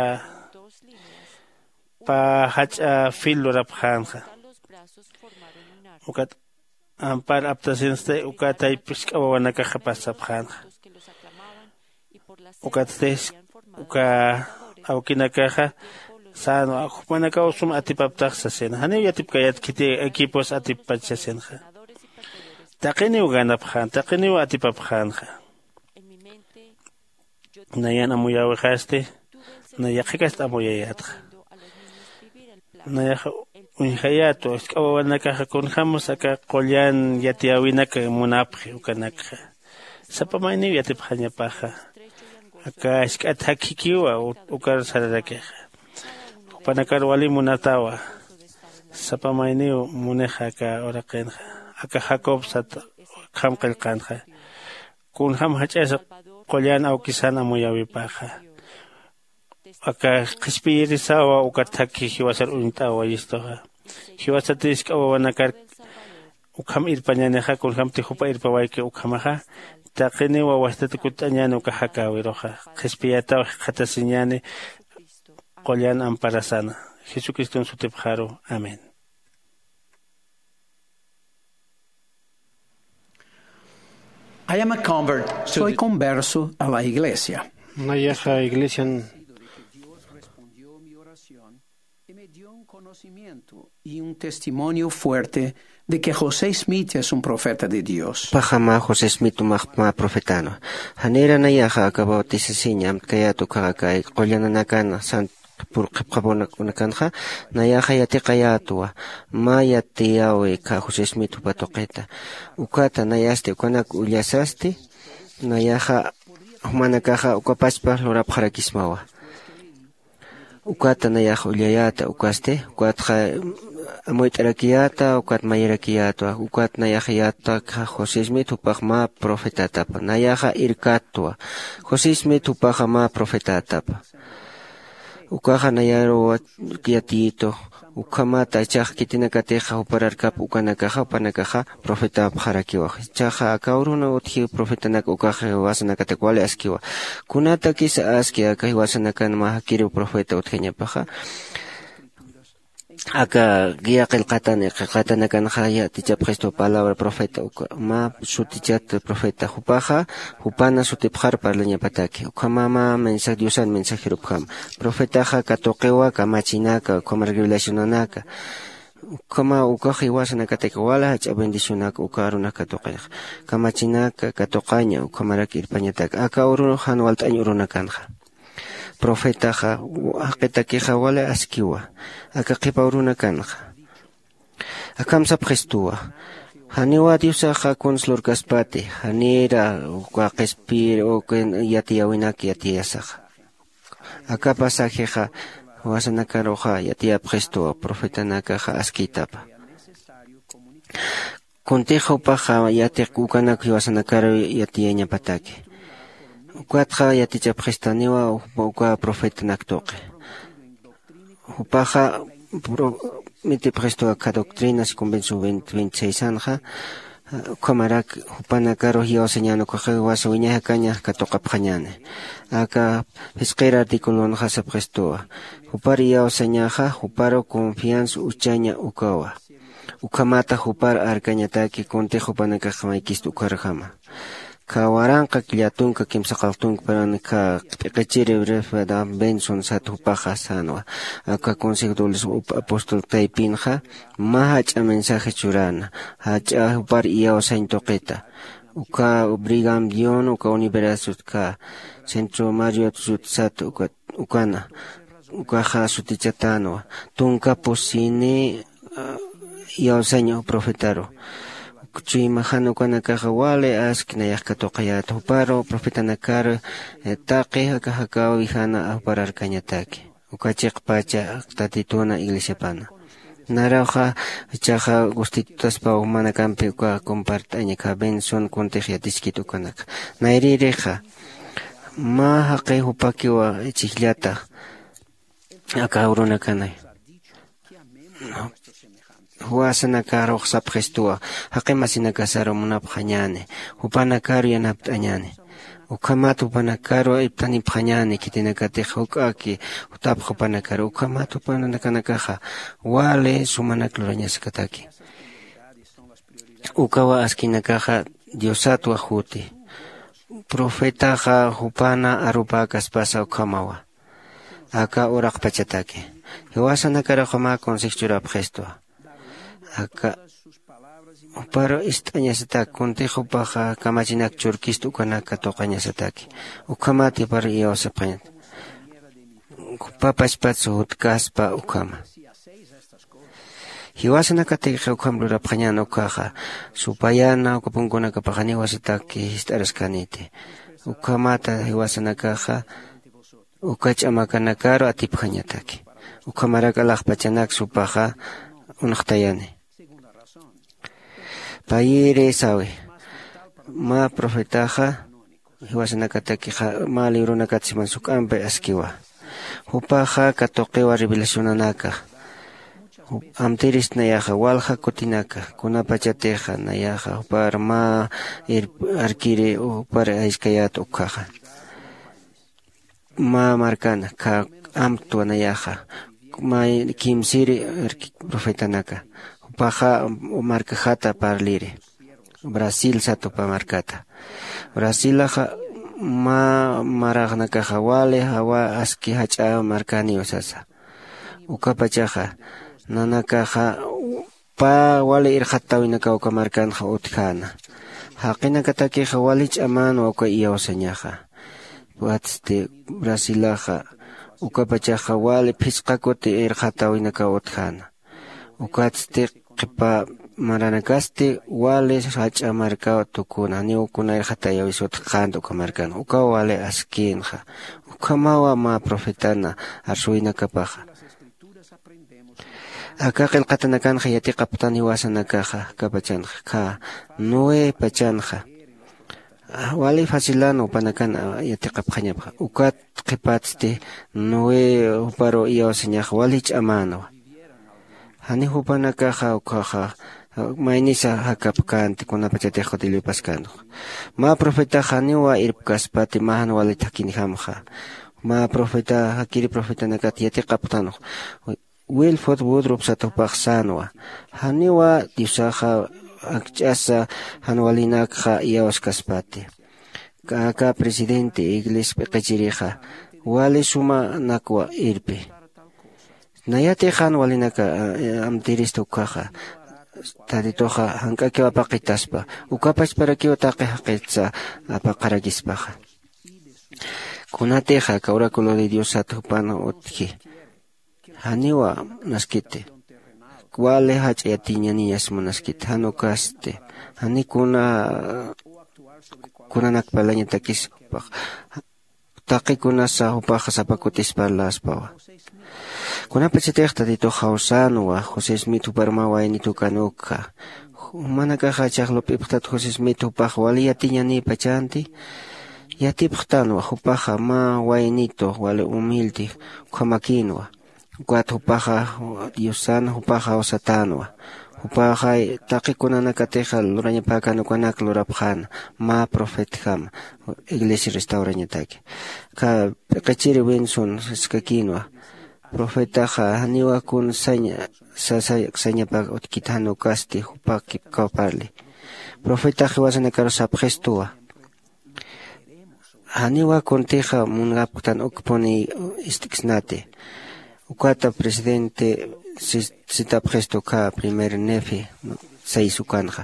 pä jach'a fil lurapxänxa. Ukat ampar aptasinsti uka tayp jisk'a wawanakaxa pasapxänxa. Ukatsti uka awkinakaxa sänwa jupanakaw sum atipaptax sasina janiw yatipkayät khiti equipos atippach sasinxa. Taqiniw ganapxän taqiniw atipapxänxa. Nayan amuyäwixasti nay yaqhikast amuyayätxa. Nayaxa uñjayätwa jisk'a wawanakaxa kunjämas aka qullan yatiyäwinak munapxi ukanakxa. Sapa mayniw yatipxañapaxa aka jisk'at jakjikiwa ukar sararakixa. Jupanakar wali munatawa. Sapa mayniw munixa aka uraqinxa aka jacob sat ukham qillqänxa. Kunjäm jach'asa qullan awkisan amuyäwipaxa aka qhispiyirisawa ukat thakhi jiwasar uñt'awayistuxa. Jiwasati jisk'a wawanakar ukham irpañänixa kunjämti jupa irpawayki ukhamaxa taqiniw wawastat kutt'añäni uka jakäwiruxa. Qhispiyätaw jikxatasiñäni qullan amparasana jesucriston sutipxaru. Amén. I am a convert to Soy the converso a la iglesia. Nayaxa iglesian. Y me dio un conocimiento y un testimonio fuerte de que José Smith es un profeta de Dios. Paxama José Smith umaxpama profetano. Janira nayaxa aka bautisasiña amtkayat ukaxa kay qullananakan sant purqhipxapunakanxa nayaxa yatiqayätwa. Mä yatiyawi kha José Smith jupa tuqita. Ukata nayasti ukanak ullasasti nayaxa jumanakaxa ukapachpa lurapxarakismawa. Ukata nayax ullayäta ukasti ukatxa amuyt'arakiyäta ukat mayirakiyätwa. Ukat nayax yätwa josé smith jupax mä profetätapa nayaxa irkätwa. José smith jupaxa mä profetätapa. Ukaxa nayaruw yatiyitu. Ukhamata ichax khitinakatixa jupararkap ukanakaxa jupanakaxa profetapxarakiwa. Ichaxa aka uruna utji profetanak ukax jiwasanakatak wali askiwa. Kunatakisa aski aka jiwasanakan mä jakiriw profeta utjañapaxa? Aka guía qillqatan qillqatanakanxa yatichapxistu palabra profeta uka mä sutichat profeta jupaxa jupana sutipxar parlañapataki. Ukhama mä mensaje diosan mensajero ukhama profetaxa katuqiwa kamachinaka ukhama revelacionanaka. Ukhama ukax jiwasanakatak wala jach'a bendicionaka uka arunak katuqinxa kamachinaka katuqaña ukhamarak irpañataka aka urunux jan walt'añ urunakanxa. Profetaxa jaqitakixa wali askiwa aka qhipa urunakanxa. Akham sapxistuwa janiwa diosaxa kuns lurkaspati janira uka qispir uka yatiyäwinak yatiyasaxa. Aka pasajexa jiwasanakaruxa yatiyapxistuwa profetanakaxa askïtapa. Kuntix jupaxa yatiq ukanak jiwasanakaru yatiyañapataki. Ukatxa yatichapxistaniwa uka profetanak tuqi. Jupaxa prometipxistuwa aka doctrinas convencio veintiséis anxa ukhamarak jupanakarux iyawsañän ukaxa jiwasa wiñay jakañax katuqapxañäni. Aka phisqir articulonxa sapxistuwa jupar iyawsañaxa juparu confianza uchaña ukawa. Ukhamata jupar arkañataki kuntix jupanakax maykista ukharjama. Kha waranqa killatunka kimsaqaltunka paran kha p'iqichiri refeda benson sat jupaxa sänwa. Aka consejo de los apóstol taypinxa mä jach'a mensaje churäna jach'a jupar iyawsañ tuqita. Uka brigam dion uka universidad kha centro mariot sut sat ukana ukaxa sutichatänwa. Tunka pusini iyawsañ profetaru. Chuymaxan ukanakaxa wali aski nayax katuqayät juparu profetanakaru taqi jaka jakaw wijana jupararkañataki. Uka chiqpacha tatituna iglesiapana narawxa ichaxa gustitutaspa jumanakampi uka compart'aña kha benson kuntix yatichkit ukanaka. Nayrïrixa mä jaqi jupakiwa chhijllata aka urunakanay. Juwasanakarux sapxistuwa jaqi masinakasaru munapxañäni jupanakaru yanapt'añäni. Ukhamat jupanakaru iptanipxañäni khitinakatix juk'aki jutapx jupanakaru ukhamat jupanakanakaxa wali sumanak lurañaskataki. Ukawa askinakaxa diosat wajuti. Profetaxa jupana arupäkaspasa ukhamawa aka uraqpachataki. Jiwasanakaruxa mä consejo churapxistwa aka juparu ist'añasatak kuntix jupaxa kamachinak churkista ukanak katuqañasataki. Ukhamat juparu iyawsapxañat jupapachpat sujutkaspa ukhama. Jiwasanakatix ukham lurapxañän ukkhaxa supayana uka punkunakapaxaniw asataki jist'araskäniti. Ukhamata jiwasanakaxa uka ch'amakanakaru atipjañataki. Ukhamarak alaxpachanak supaxa unxtayani. Payiri sawi mä profetaxa jiwasanakatakixa mä libronakat siman suk'ampi askiwa. Jupaxa katuqiwa revelacionanaka amtirist nayaxa walja kutinaka kunapachatixa nayaxa jupar mä arkiri jupar ayskayät ukkhaxa. Mä markana kha amtwa nayaxa may kimsiri arkik profetanaka jupaxa markajata parliri. Brasil satupa markata brasilaxa mä maraxnakaxa wali jawa aski jach'a markaniw sasa. Ukapachaxa nanakaxa pä wali irxatäwinakaw uka markanxa utjäna. Jaqinakatakixa wali ch'amänwa uka iyawsañaxa. Watsti brasilaxa ukapachaxa wali phisqa kuti irxatäwinakaw utjäna. Ukatsti qhipa maranakasti wali jach'a markaw tukuna janiw kuna irxatäyäwis utjkänti uka markan ukaw wali askïnxa. Ukhamawa mä profetana arsuwinakapaxa. Aka qillqatanakanxa yatiqapxtan jiwasanakaxa, aka pachanxa kha, noé pachanxa. Wali facilan jupanakan yatiqapxañapxa. Ukat qhipatsti noé juparu iyawsañax wali ch'amänwa. Jani jupanakaxa ukhaxa maynisa jakapkänti kunapachatix jutillupaskanxa. Mä profetax janiwa irpkaspati mä jan wali thakhinjamxa. Mä profeta jakiri profetanakat yatiqapxtanxa. Wilford woodrop sat jupax sänwa. Janiwa diosaxa akch'asa jan walinakxa iyawskaspati. Aka presidente iglesia p'iqichirixa wali sumanakwa irpi. Nayatix jan walinaka amtirista ukhaxa. Tatituxa jank'akiw apaqitaspa. Ukapachparakiw taqi jaqitsa apaqarakispaxa. Kunatixa aka oraculo de diosat jupan utji. Janiwa naskiti wali jach'a yatiñaniñas munaskiti jan ukasti. Jani kuna kunanak parlañatakis jupax. Taqi kunasa jupaxa sapa kutis parlaspawa. Kunapachatix tatitux jawsänwa josé smith juparuma waynitukan ukxa. Jumanakaxa chaxlup'ipxtat josé smith jupax wali yatiñanïpachanti. Yatipxtanwa jupaxa mä waynitu wali humilde ukhamakïnwa. Ukat jupaxa diosan jupaxa jawsatänwa. Jupaxa taqi kunanakatixa lurañapäkan ukanak lurapxäna mä profetjama iglesia restaurañataki. Kha p'iqichiri winson saskakïnwa. Profetaxa janiwa kun saña sasa sañapa utkit jan ukasti jupa kipkaw parli. Profetax jiwasanakaru sapxistuwa. Janiwa kuntixa munkapktan ukpuni ist'ksnati. Ukata presidente sitapxistu ukha primer nefi seis ukanxa.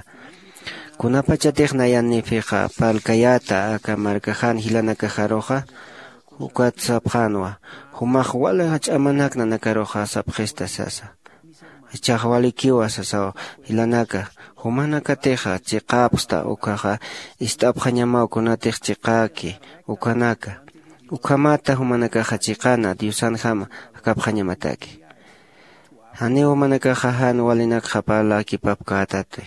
Kunapachatix nayan nefixa parlkayäta aka markaxan jilanakaxaruxa ukat sapxänwa. Jumax wali jach'amanak nanakaruxa sapxista sasa. Jichhax walikiwa sasaw jilanaka. Jumanakatixa chiqäpxta ukhaxa ist'apxañamaw kunatix chiqäki ukanaka. Ukhamata jumanakaxa chiqana diosanjama jakapxañamataki. Janiw jumanakaxa jan walinakxa parläkipapkätati.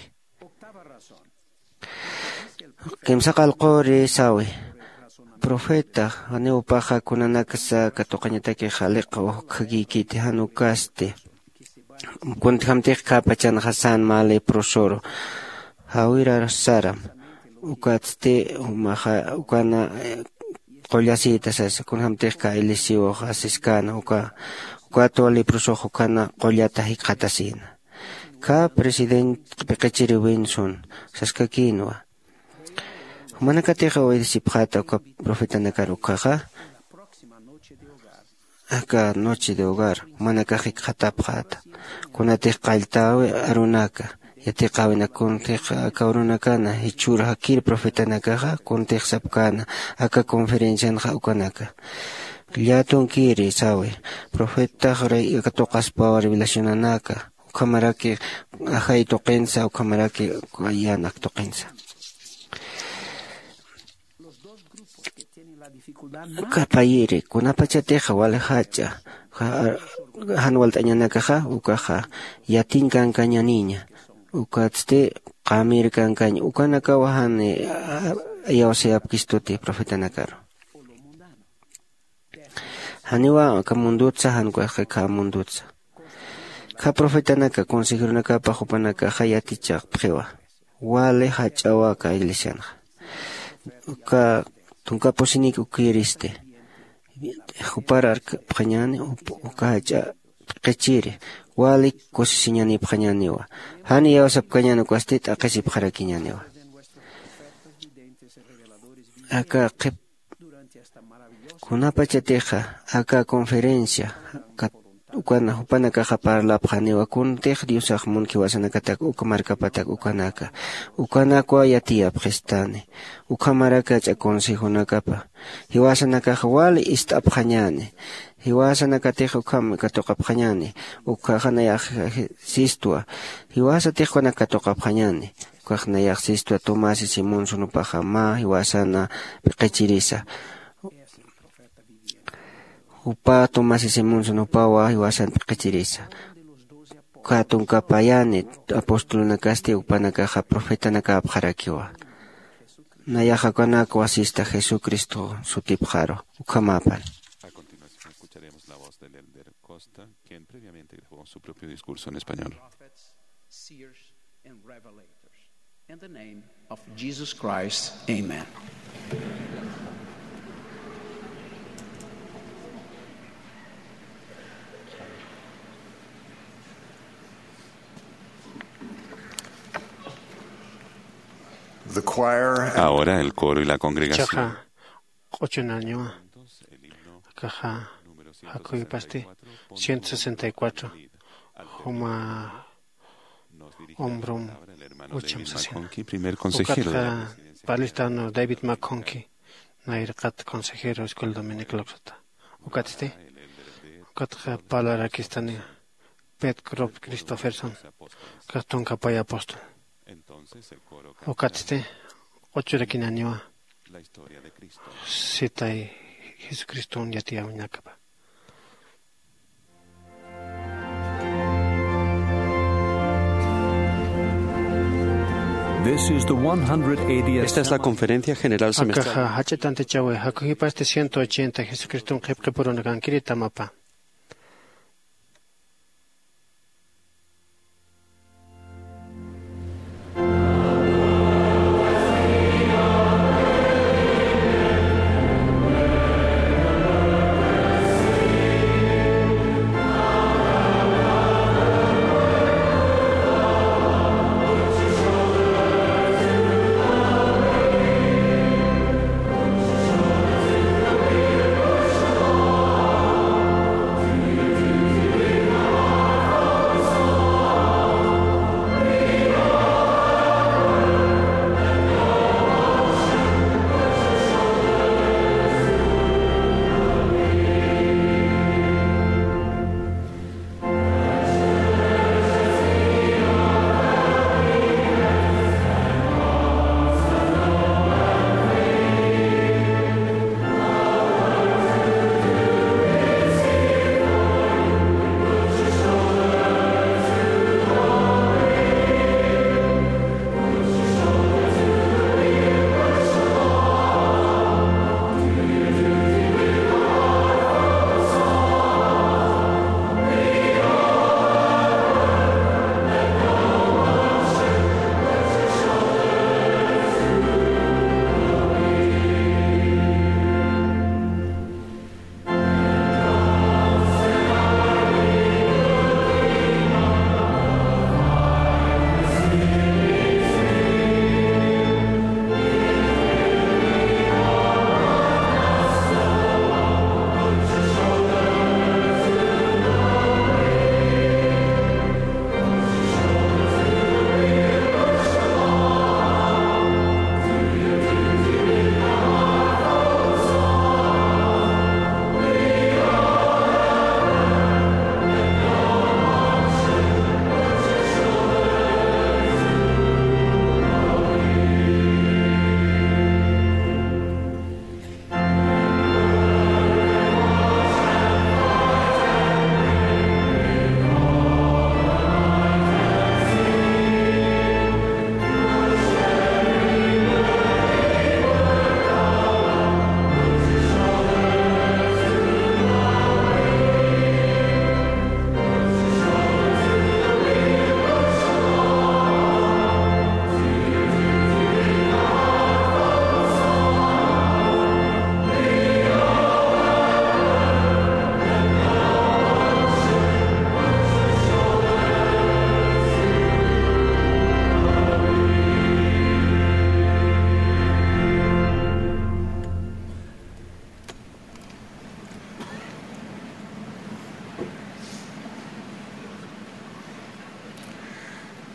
Kimsa qallquri sawi. Profeta janiw jupaxa kunanaksa katuqañatakix jaliq ujkjakïkiti jan ukasti. Kuntjamtix khäpachanxa san mä leprosor jawirar saram. Ukatsti jumaxa ukana qullasïta sasa kunjamtix khä elisiwux asiskäna uka. Ukatwa leprosox ukana qullata jikxatasïna. Khä president p'iqichiri winson saskakïnwa. Jumanakatix uyarisipxäta uka profetanakar ukhaxa. Aka noche de hogar jumanakax jikxatapxäta. Kunatix qalltäwi arunaka yatiqäwinak kuntix aka urunakana jichhür jakir profetanakaxa kuntix sapkäna aka conferencianxa ukanaka. Llätunkiri sawi. Profetax katuqaspawa revelacionanaka ukhamaraki ajay tuqinsa ukhamaraki yänak tuqinsa. Kapayiri kunapachatixa wali jach'a jan walt'añanakaxa ukaxa yatiñ kankañaniña. Ukatsti qamir kankaña ukanakawa jan iyawsayapkistuti profetanakaru. Janiwa aka mundutsa jan ukhaxa khä mundutsa. Khä profetanaka consejeronakapa jupanakaxa yatichapxiwa. Wali jach'awa aka iglesianxa. Uka tunka pusinik ukiristi jupar arkapxañäni. Uka jach'a p'iqichiri wali kusisiñanipxañäniwa. Jan iyawsapkañäni ukasti t'aqhisipxarakiñäniwa. Aka qhip kunapachatixa aka conferencia ukana jupanakaxa parlapxaniwa kuntix diosax munki jiwasanakatak uka markapatak ukanaka ukanakwa yatiyapxistani. Ukhamaraki jach'a consejonakapa jiwasanakax wali ist'apxañäni. Jiwasanakatix ukham katuqapxañäni. Ukhaxa nayax sistwa jiwasatix ukanak katuqapxañäni. Ukax nayax sistwa tomás y simón sunupaxa mä jiwasana p'iqichirisa. Jupa tomás y simón sunupawa jiwasan p'iqichirisa. Uka tunka payani apostolunakasti jupanakaxa profetanakäpxarakiwa. Nayaxa ukanak wasista Jesucristo sutipxaru. Ukhamäpan. A continuación escucharemos la voz del elder Costa, quien previamente grabó su propio discurso en español. Prophets, seers, and revelators. In the name of Jesus Christ, amen. The choir and Ahora el coro y la congregación. Ichaxa q'uchunaniwa. Akaxa jakhuypasti ciento sesenta y cuatro juma hombrom ucham sasina. Primer consejero de la Ukatxa palistano David McConkie, nayraqat consejero escuela dominical uksata. Ukatsti, ukatxa parlarakistani Pet Crop Christopherson, kax tunka pay apóstol. Ukatsti, q'uchurakinaniwa sitay Jesucriston yatiyäwinakapa. This is the one hundred eightieth. Esta es la conferencia general semestral. Akaxa jach'a tantichawi, jakhuypasti ciento ochenta Jesucriston qhipqipurunakankiri tamapa.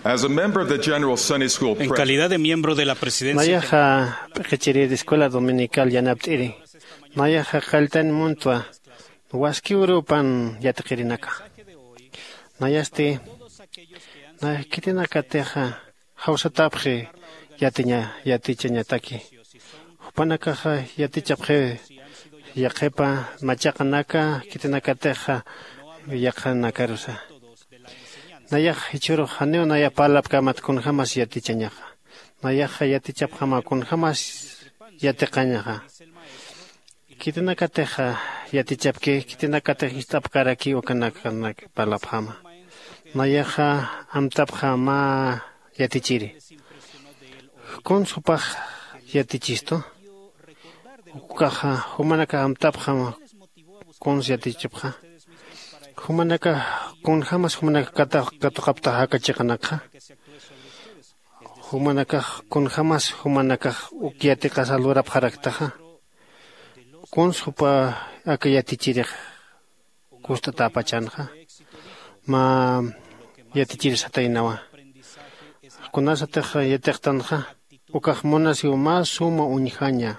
As a member of the General Sunday School En Pre- calidad de miembro de la presidencia Nayaxa p'iqichiri de escuela dominical yanapt'iri. Nayaxa qalltan muntwa waskiw urupan yatiqirinaka. Nayasti, naya khitinakatixa jawsatapxi yatiña, yatichañataki. Jupanakaxa yatichapxi yaqhipa machaqanaka, khitinakatixa yaqhanakarusa. Nayax jichhürux janiw naya parlapkamat kunjämas yatichañaxa. Nayaxa yatichapxama kunjämas yatiqañaxa. Khitinakatixa yatichapki, khitinakatix ist'apkarakiw ukanakanak parlapxama. Nayaxa amtapxama yatichiri. Kuns jupax yatichistu? Ukaxa jumanakax amtapxama kuns yatichapxa. Jumanakax kunjämas jumanakax katuqaptaxa aka chiqanakxa? Jumanakax kunjämas jumanakax uk yatiqasa lurapxaraktaxa? Kuns jupa aka yatichirix kust'atäpachanxa? Mä yatichir sataynawa. Kunasatix yatiqtanxa ukax munasiw mä suma uñjaña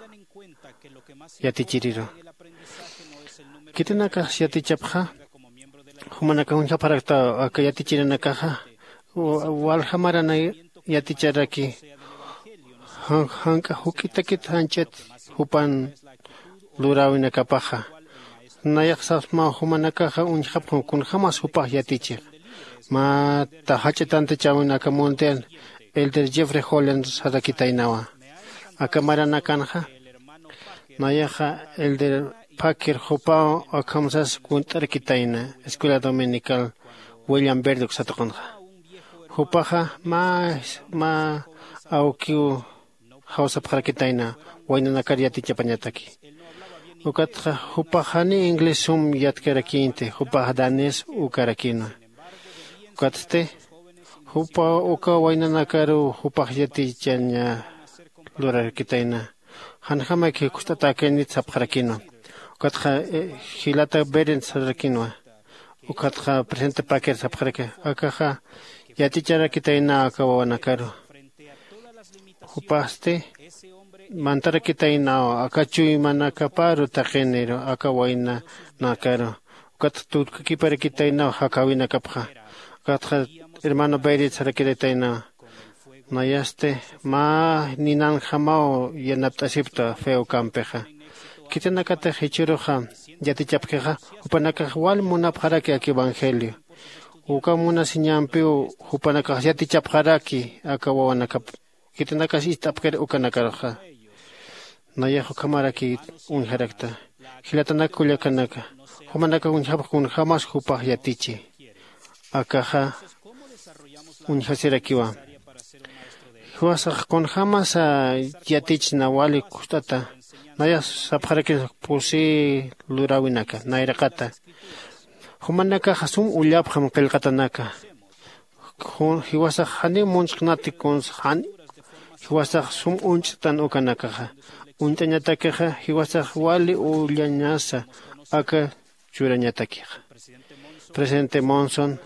yatichiriru. Khitinakax yatichapxa jumanakax uñjapxarakta aka yatichirinakaxa. Walja marana yaticharaki jank'a juk'itakit janch'it jupan luräwinakapaxa. Nayax sapsmaw jumanakaxa uñjapxam kunjämas jupax yatichix. Mä ta jach'a tantichäwin aka mundial elder jeffrey holland sarakitaynawa. Aka maranakanxa nayaxa elder packer jupaw akhamsas kunt'arakitayna escuela dominical william verduc satuqanxa. Jupaxa mä mä awkiw jawsapxarakitayna waynanakar yatichapañataki. Ukatxa jupax janiw inglés sum yatkarakïnti, jupax danés ukarakïnwa. Ukatsti jupa uka waynanakaruw jupax yatichaña lurarakitayna. Janjämaki kust'atäkänit sapxarakïnwa. Ukatxa jilata berent sararakïnwa. Ukatxa presidente paquer sapxaraki akaxa yaticharakitaynaw aka wawanakaru. Jupasti mantarakitaynaw aka chuymanakaparu taqiniru aka waynanakaru. Ukatxa tutkakiparakitäynaw jakäwinakapxa. Ukatxa hermano berit sarakiritaynaw. Nayasti mä ninanjamaw yanapt'asipta fe ukampixa. Khitinakatix jichhüruxa yatichapkixa jupanakax wal munapxaraki aka evangelio. Uka munasiñampiw jupanakax yatichapxaraki aka wawanakap. Khitinakas ist'apkir ukanakaruxa. Nayax ukhamaraki uñjarakta. Jilatanak kullakanaka, jumanakax uñjapxi kunjämas jupax yatichi. Akaxa uñjasirakiwa. Jiwasax kunjämasa yatichna wali kust'ata. Nayax sapxarakis pusï luräwinaka nayraqata. Jumanakaxa sum ullapxam qillqatanaka. Jiwasax janiw munchknati kunsa jan jiwasax sum uñch'tan ukanakaxa. Uñt'añatakixa jiwasax wali ullañasa aka churañatakixa. Presidente monson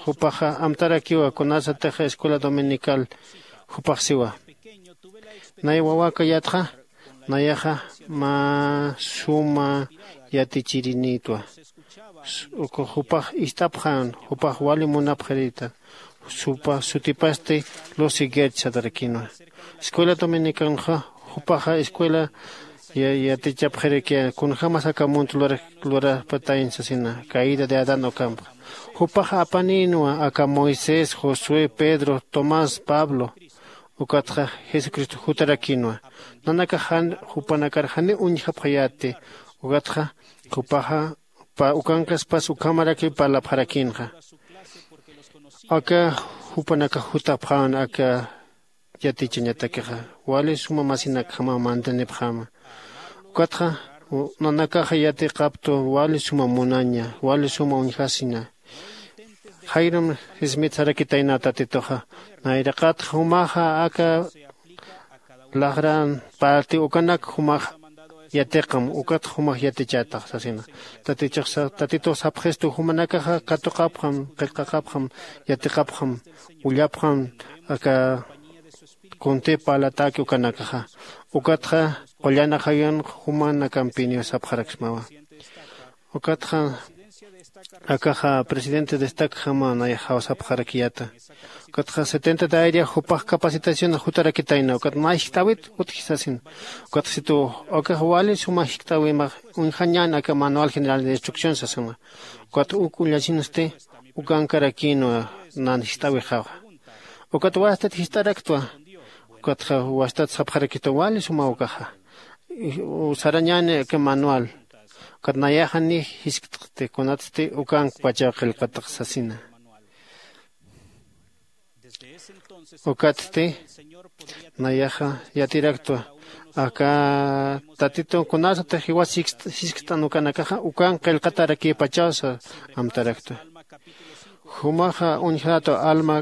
jupaxa amtarakiwa kunasatixa escuela dominical jupax siwa. Nay wawakayatxa nayaxa mä suma yatichirinïtwa. Uka jupax ist'apxän jupax wali munapxirïta. Supa sutipasti lucy gerch satarakïnwa. Escuela dominicanxa jupaxa escuela yatichapxiraki kunjämas aka munt lurapatayn sasina caída de adán ukampxa. Jupaxa apanïnwa aka moisés josué pedro tomás pablo ukatxa jesucristo jutarakïnwa. Nanakax jan jupanakar janiw uñjapxayäti. Ukatxa jupaxa ukankaspas ukhamaraki parlapxarakïnxa. Aka jupanakax jutapxäna aka yatichañatakixa wali suma masinakjamaw mantanipxäma. Ukatxa nanakaxa yatiqaptu wali suma munaña wali suma uñjasina. Jayrum jismit sarakitayna tatituxa nayraqatxa jumaxa aka laxran parti ukanak jumax yatiqam ukatxa jumax yatichätax sasina. Tatitux sapxistu jumanakaxa katuqapxam qillqaqapxam yatiqapxam ullapxam aka kuntï parlatäki ukanakaxa. Ukatxa qullan ajayunx jumanakampiniw sapxaraksmawa. Ukatxa akaxa presidente destacjama nayax jawsapxarakiyäta. Ukatxa setenta dairia jupax capacitación jutarakitayna ukat mä jiskt'äwit utji sasina. Ukatxa situ akax wali suma jiskt'äwimax uñjañän aka manual general de instrucción sasina. Ukat uk ullasinsti ukankarakïnwa. Nan jist'äwixawa. Ukat wastat jist'araktwa. Ukatxa wastat sapxarakitwa wali suma ukaxa. Sarañäni aka manual. Ukat nayaxa ni jisktxti kunatsti ukankpachaw qillqatax sasina. Ukatsti nayaxa yatiraktwa aka tatitun kunasatix jiwas jiskt'an ukanakaxa ukan qillqatarakïpachawsa amtaraktwa. Jumaxa uñjatwa alma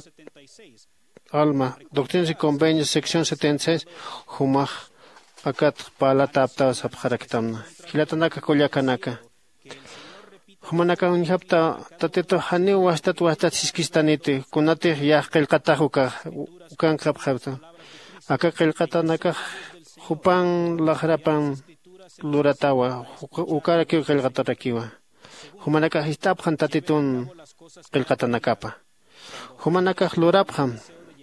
alma doctrinas y convenios sección setenta y seis. Jumax akat parlatäptaw sapxaraktamna jilatanaka kullakanaka. Jumanakax uñjapta tatitux janiw wastat wastat jiskistaniti kunatix yäq qillqatax ukax ukankxapxapta. Aka qillqatanakax jupan laxrapan luratawa. Ukarakiw qillqatarakiwa. Jumanakax jist'apxan tatitun qillqatanakapa. Jumanakax lurapxam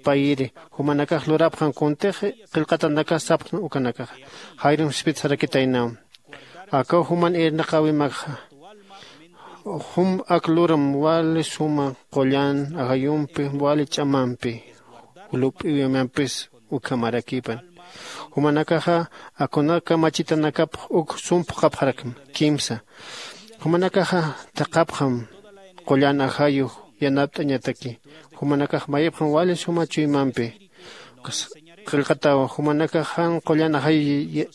payiri. Jumanakax lurapxam kuntix qillqatanakax sapxn ukanakaxa. Jayrum sispit sarakitaynaw akaw juman irnaqäwimakxa. Jum ak luram wali suma qullan ajayumpi wali ch'amampi lup'iwimampis ukhamarakipan. Jumanakaxa akuna kamachitanakapx uk sum phuqhapxarakma kimsa. Jumanakaxa thaqhapxam qullan ajayu yanapt'añataki. Jumanakax mayipxam wali suma chuymampi qillqatawa. Jumanakax jan qullan ajayu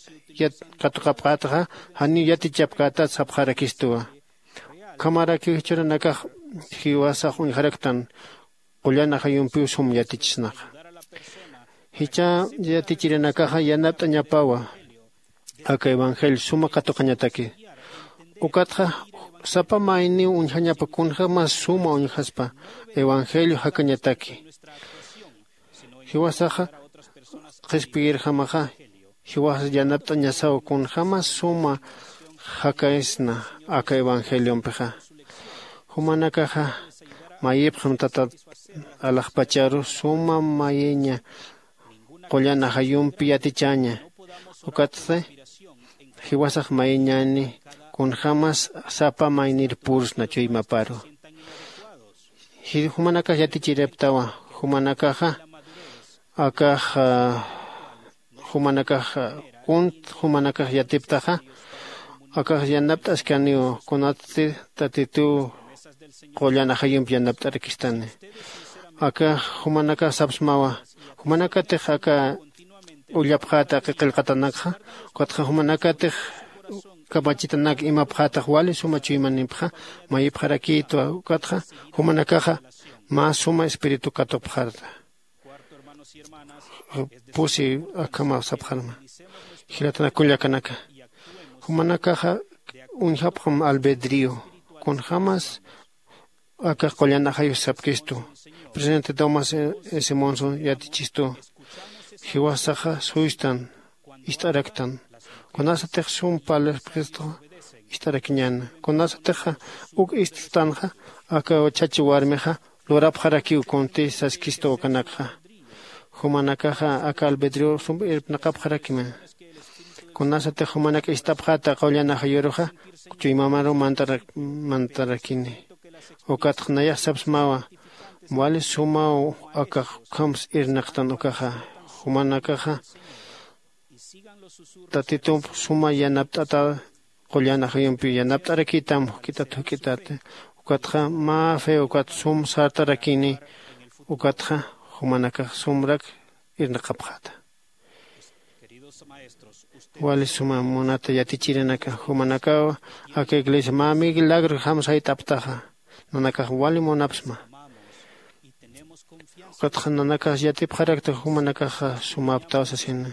katuqapxätaxa janiw yatichapkätat sapxarakistuwa. Ukhamarakiw jichhüranakax jiwasax uñjaraktan qullan ajayumpiw sum yatichisnaqa. Jichha yatichirinakaxa yanapt'añapawa aka evangelio suma katuqañataki. Ukatxa sapa mayniw uñjañapa kunjämas suma uñjaspa evangelio jakañataki. Jiwasaxa qhispiyirjamaxa jiwasas yanapt'añasaw kunjämas suma jakaysna aka evangeliompixa. Jumanakaxa mayipxam tatat alaxpacharu suma mayiña qullan ajayumpi yatichäña. Ukatsti jiwasax mayiñäni kunjämas sapa maynir pursna chuymaparu. Jumanakax yatichiriptawa. Jumanakaxa akax jumanakax kunt jumanakax yatiptaxa akax yanapt'askaniw kunatsti tatituw qullan ajayumpi yanapt'arakistani. Akax jumanakax sapsmawa jumanakatix aka ullapxäta aka qillqatanakxa ukatxa jumanakatix kamachitanak imapxätax wali suma chuymanimpxa mayipxarakïtwa. Ukatxa jumanakaxa mä suma espíritu katupxarta. Pusi akhamaw sapxarma. Jilatana kullakanaka jumanakaxa uñjapxam albedrío kunjämas aka qullan ajayus sapkistu. Presidente tomás simonson yatichistu jiwasaxa suystan ist'araktan kunasatix sum parlipxistu ist'arakiñäna kunasatixa uk ist'tanxa aka chacha warmixa lurapxarakiw kunti saskistu ukanakxa. Jumanakaxa aka albedrior sum irpnaqapxarakima kunasatix jumanak ist'apxäta qullan ajayuruxa chuymamaru mantarakini. Ukatxa nayax sapsmawa wali sumaw akax ukhams irnaqtan ukaxa. Jumanakaxa tatitump suma yanapt'ata qullan ajayumpi yanapt'arakïtam juk'itat juk'itat. Ukatxa mä fe ukat sum sartarakini. Ukatxa jumanakax sumrak irnaqapxäta. Wali suma munata yatichirinaka jumanakaw aka iglesia mä miglagro jamsayt'aptaxa nanakax wali munapsma. Ukatxa nanakax yatipxarakta jumanakaxa sumaptaw sasina.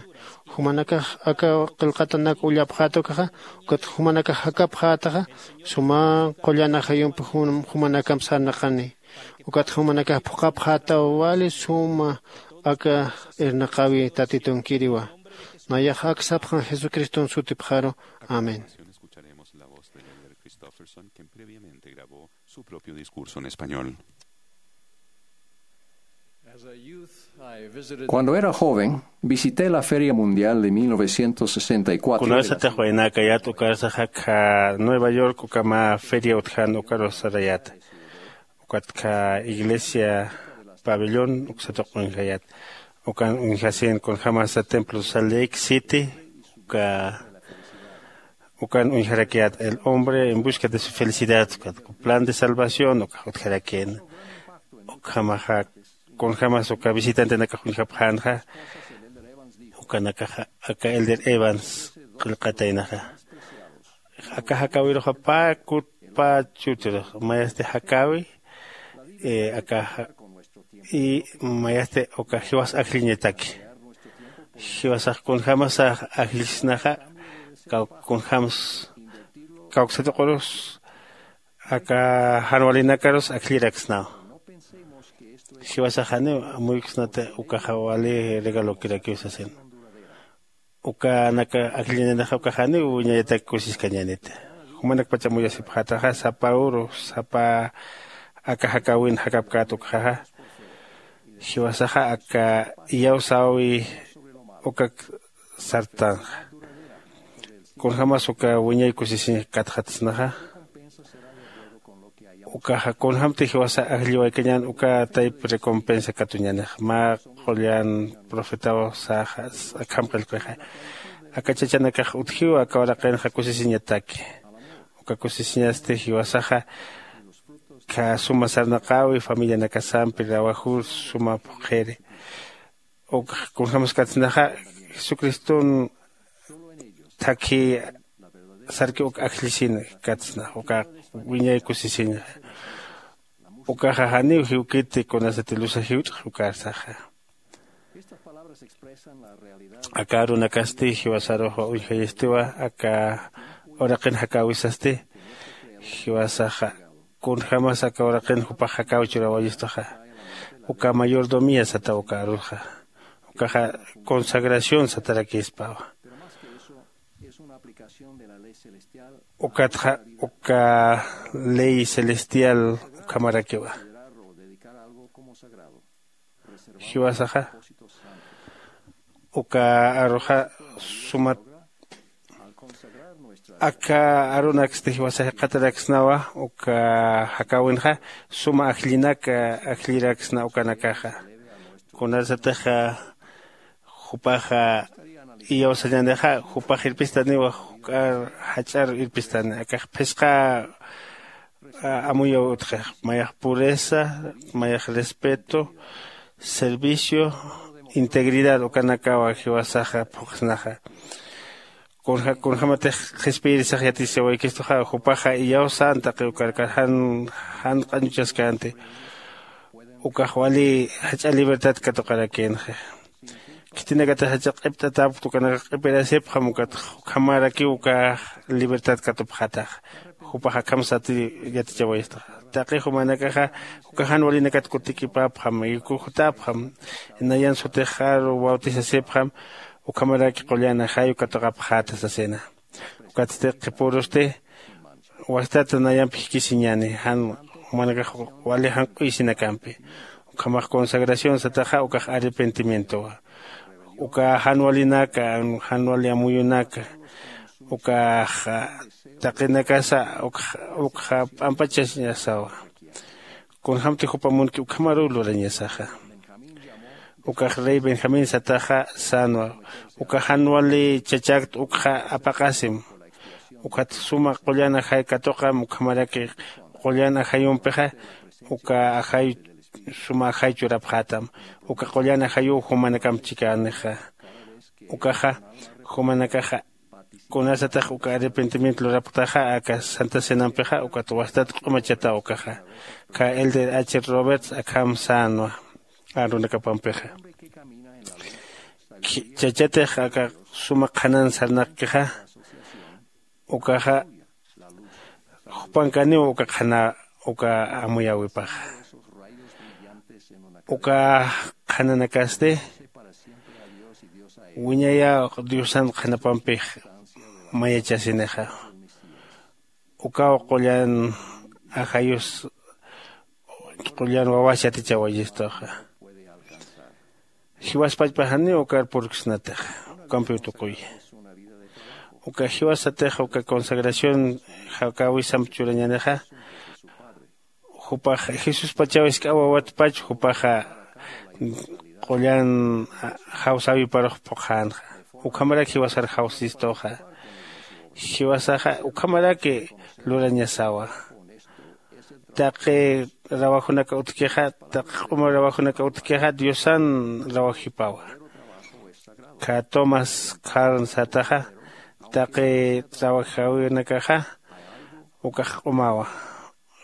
Jumanakax aka qillqatanak ullapxäta ukaxa ukatxa jumanakax jakapxätaxa suma qullan ajayumpi jumanakamp sarnaqani. Ukatxa jumanakax phuqhapxätaw wali suma aka irnaqäwi tatitunkiriwa. Nayax ak sapxan jesucriston sutipxaru. Amén. Escucharemos la voz del elder Christofferson, quien previamente grabó su propio discurso en español. Cuando era joven, visité la Feria Mundial de mil novecientos sesenta y cuatro de la kunasatix waynäkayät ukarsax akha nueva york ukama feria utjan ukarus sarayäta. Ukatkha iglesia pabellón uksatuq uñjayät. Ukan uñjasin kunjämasa templo salt lake city uka ukan uñjarakiyät el hombre en busca de su felicidad ukat plan de salvación ukax utjarakïna. Ukhamaxa kunjämas uka visitantenakax uñjapxänxa ukanakaxa aka elder evans qillqataynaxa. Aka jakäwiruxa pä kut pä chutirux mayasti jakäwi aka y mayasti uka jiwas ajlliñataki. Jiwasax kunjämasa ajllisnaxa kunjäms kawksatuqurus aka jan walinakarus ajlliraksnaw. Jiwasax janiw amuyksnati ukaxa wali regalokirakiw sasin. Ukanaka ajlliñanixa ukax janiw wiñayatak kusiskañäniti. Jumanakpach amuyasipxätaxa sapa uru sapa aka jakäwin jakapkät ukxaxa. Jiwasaxa aka iyawsäwi ukak sartanxa. Kunjämas uka wiñay kusisiñ katxatsnaxa. Ukaxa kunjämti jiwasa ajlliwaykañän uka tayp recompensa katuñänix mä qullan profetaw saxa akham qillqixa. Aka chachanakax utjiw aka uraqinxa kusisiñataki. Uka kusisiñasti jiwasaxa suma sarnaqäwi familianakasampi rawajur suma phuqhiri. Uk kunjämskatsnaxa jesucriston thakhi sarki uk ajllisin katsna uka wiñay kusisiñxa. Ukaxa janiw jiwkiti kunasati lusa jiwch'x ukarsaxa. Aka arunakasti jiwasarux uñjayistiwa aka uraqin jakäwisasti. Jiwasaxa kunjämas aka uraqin jupax jakäwi churawayistaxa. Uka mayordomía sataw uka aruxa ukaxa consagración satarakïspawa. Ukatxa uka ley celestial ukhamarakiwa. Jiwasaxa uka aruxa sumat aka arunaksti jiwasa jiqataraksnawa uka jakäwinxa suma ajllinak ajlliraksna ukanakaxa. Kunasatixa jupaxa iyawsañänixa jupax irpistaniwa juk'ar jach'ar irpistani akax phisqa amuyaw utjix mayax pureza mayax respeto servicio integridad ukanakawa jiwasaxa phuqsnaxa. Kunjämatix qhispiyirisax yatichawaykistuxa jupaxa iyawsän taqi ukarkar jan jan q'añuchaskänti. Ukax wali jach'a libertad katuqarakïnxi. Khitinakatix jach'a q'ipt'atäpkta ukanakax q'ipirasipxam ukat ukhamarakiw ukax libertad katupxätaxa. Jupax akham sati yatichawayistaxa taqi jumanakaxa uka jan walinakat kutikipäpxam y kujutäpxam nayan sutixaru bautisasipxam. Ukhamaraki qullan ajayu katuqapxäta sasina. Ukatsti qhipurusti wastat nayamp jikisiñäni jan jumanakax wali janq'uyisinakampi. Ukhamax consagración sataxa ukax arrepentimientowa. Uka jan walinaka jan wali amuyunaka ukax taqinakasa ukxa p'ampachasiñasawa. Kunjämti jupa munki ukhamaruw lurañasaxa. Ukax rey benjamín sataxa sänwa uka jan wali chachakt ukxa apaqasim. Ukat suma qullan ajay katuqam ukhamaraki qullan ajayumpixa uka ajay suma ajay churapxätam. Uka qullan ajayuw jumanakamp chikänixa. Ukaxa jumanakaxa kunasatix uka arrepentimiento lurapktaxa aka santa cenampixa ukat wastat q'umachataw ukaxa. Kha elder h roberts akham sänwa arunakapampixa. Chachatix aka suma qhanan sarnaqkixa ukaxa jupankaniw uka qhana uka amuyäwipaxa. Uka qhananakasti wiñayä diosan qhanapampix mayachasinixa. Ukaw qullan ajayus qullan wawas yatichawayistuxa. Jiwas pachpa janiw ukar purksnatix ukampiw tukuy. Uka jiwasatix uka consagración jakäwisamp churañänixa. Jupax jesuspachaw isk'awawatpach jupaxa qullan jawsäwiparux phuqhänxa. Ukhamarak jiwasar jawsistuxa. Jiwasaxa ukhamaraki lurañasawa. Taqi rawajunaka utjkixa taqi q'uma rawajunaka utjkixa diosan rawajipawa. Kha tomás kharn sataxa taqi rawajawinakaxa ukax q'umawa.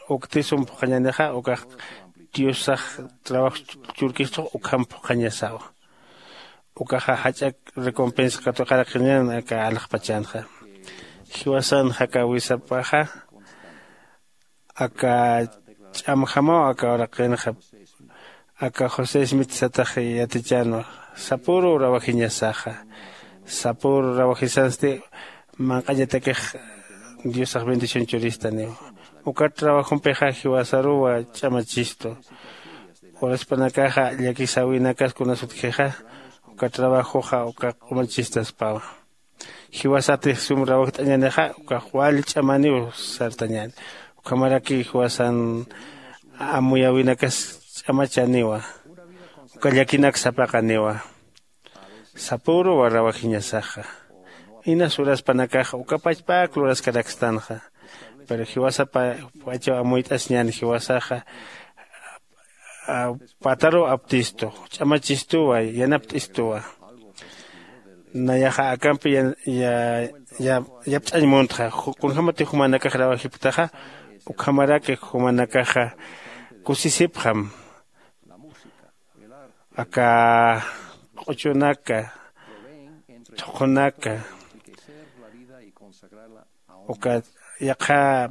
Ukti sum phuqhañanixa ukax diosax trabajo churkistux ukham phuqhañasawa. Ukaxa jach'ak recompensa katuqaraqiñan aka alaxpachanxa. Jiwasan jakawisapaxa aka ch'amjamaw aka uraqinxa. Aka josé smit satax yatichanwa sapüru rawajiñasaxa. Sapüru rawajisansti manq'añatakix diosax bendición churistaniw. Ukat trabajompixa jiwasaruwa ch'amachistu. Uraspanakaxa llakisäwinakas kunas utjixa uka trabajoxa uka q'umachistaspawa. Jiwasatix sum rawajt'añänixa ukax wali ch'amaniw sartañäni. Ukhamaraki jiwasan amuyäwinakas ch'amachaniwa. Uka llakinak sapaqaniwa. Sapüruwa rawajiñasaxa. Inas uraspanakaxa uka pachpäk luraskarakstanxa. Pero jiwasapa p'achaw amuyt'asiñäni jiwasaxa pataruw aptistu ch'amachistuwa yanapt'istuwa. Nayaxa akampi yapch'añ muntxa. Kunjämatix jumanakax rawajipktaxa ukhamaraki jumanakaxa kusisipxam. Aka q'uchunaka thuqhunaka uka yaqha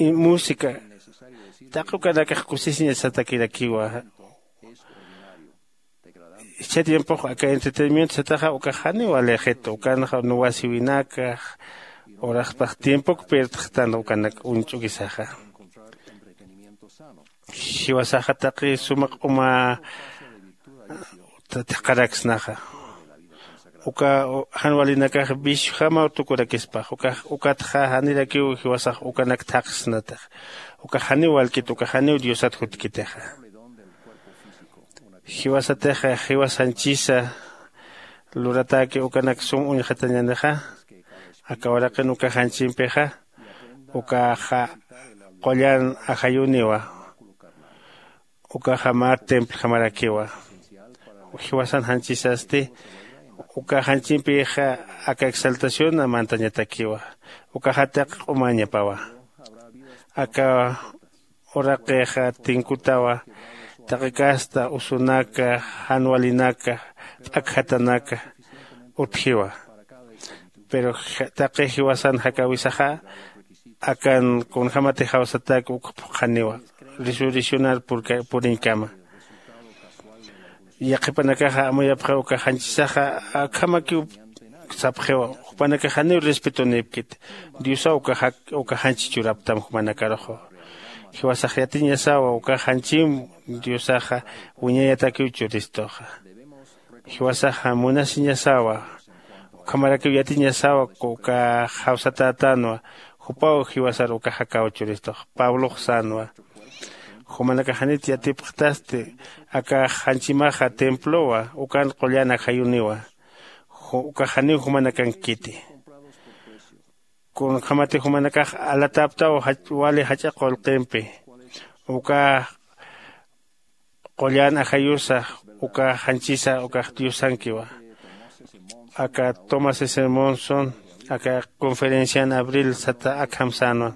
música taqi ukanakax kusisiñasatakirakiwa. Jichha tiempox aka entretenimiento sataxa ukax janiw alejitu ukanxa nuwasiwinaka uraspax tiempok pirdxtan ukanak uñch'ukisaxa. Jiwasaxa taqi suma q'uma thaqharaksnaxa. Uka jan walinakax viciojamaw tukurakispax ukax ukatxa janirakiw jiwasax ukanak thaqhsnatix. Ukax janiw walkit ukax janiw diosat jutkitixa. Jiwasatixa jiwas janchisa luratäki ukanak sum uñxatañänixa. Aka uraqin uka janchimpixa ukaxa qullan ajayuniwa. Ukaxa mä templjamarakiwa. Jiwasan janchisasti uka janchimpixa aka exaltación mantañatakiwa. Ukaxa taqi q'umañapawa. Aka uraqixa tinkutawa taqi kasta usunaka jan walinaka p'akjatanaka utjiwa. Pero taqi jiwasan jakäwisaxa akan kunjämatix jawsatäk uk phuqhaniwa resurreccionar puriñkama. Yaqhipanakaxa amuyapxiw uka janchisaxa akhamakiw sapxiwa. Jupanakax janiw respetonïpkit. Diosaw uka janchi churaptam jumanakaruxa. Jiwasax yatiñasawa uka janchim diosaxa wiñayatakiw churistuxa. Jiwasaxa munasiñasawa ukhamarakiw yatiñasawa uka jawsatätänwa. Jupaw jiwasar uka jakäw churistux pablox sänwa. Jumanakax janit yatipxtasti aka janchimaxa templowa ukan qullan ajayuniwa. Ukax janiw jumanakankiti. Kunjämatix jumanakax alatäptaw wali jach'a qullqimpi uka qullan ajayusa uka janchisa ukax diosankiwa. Aka tomás s monson aka conferencian abril sata akham sänwa.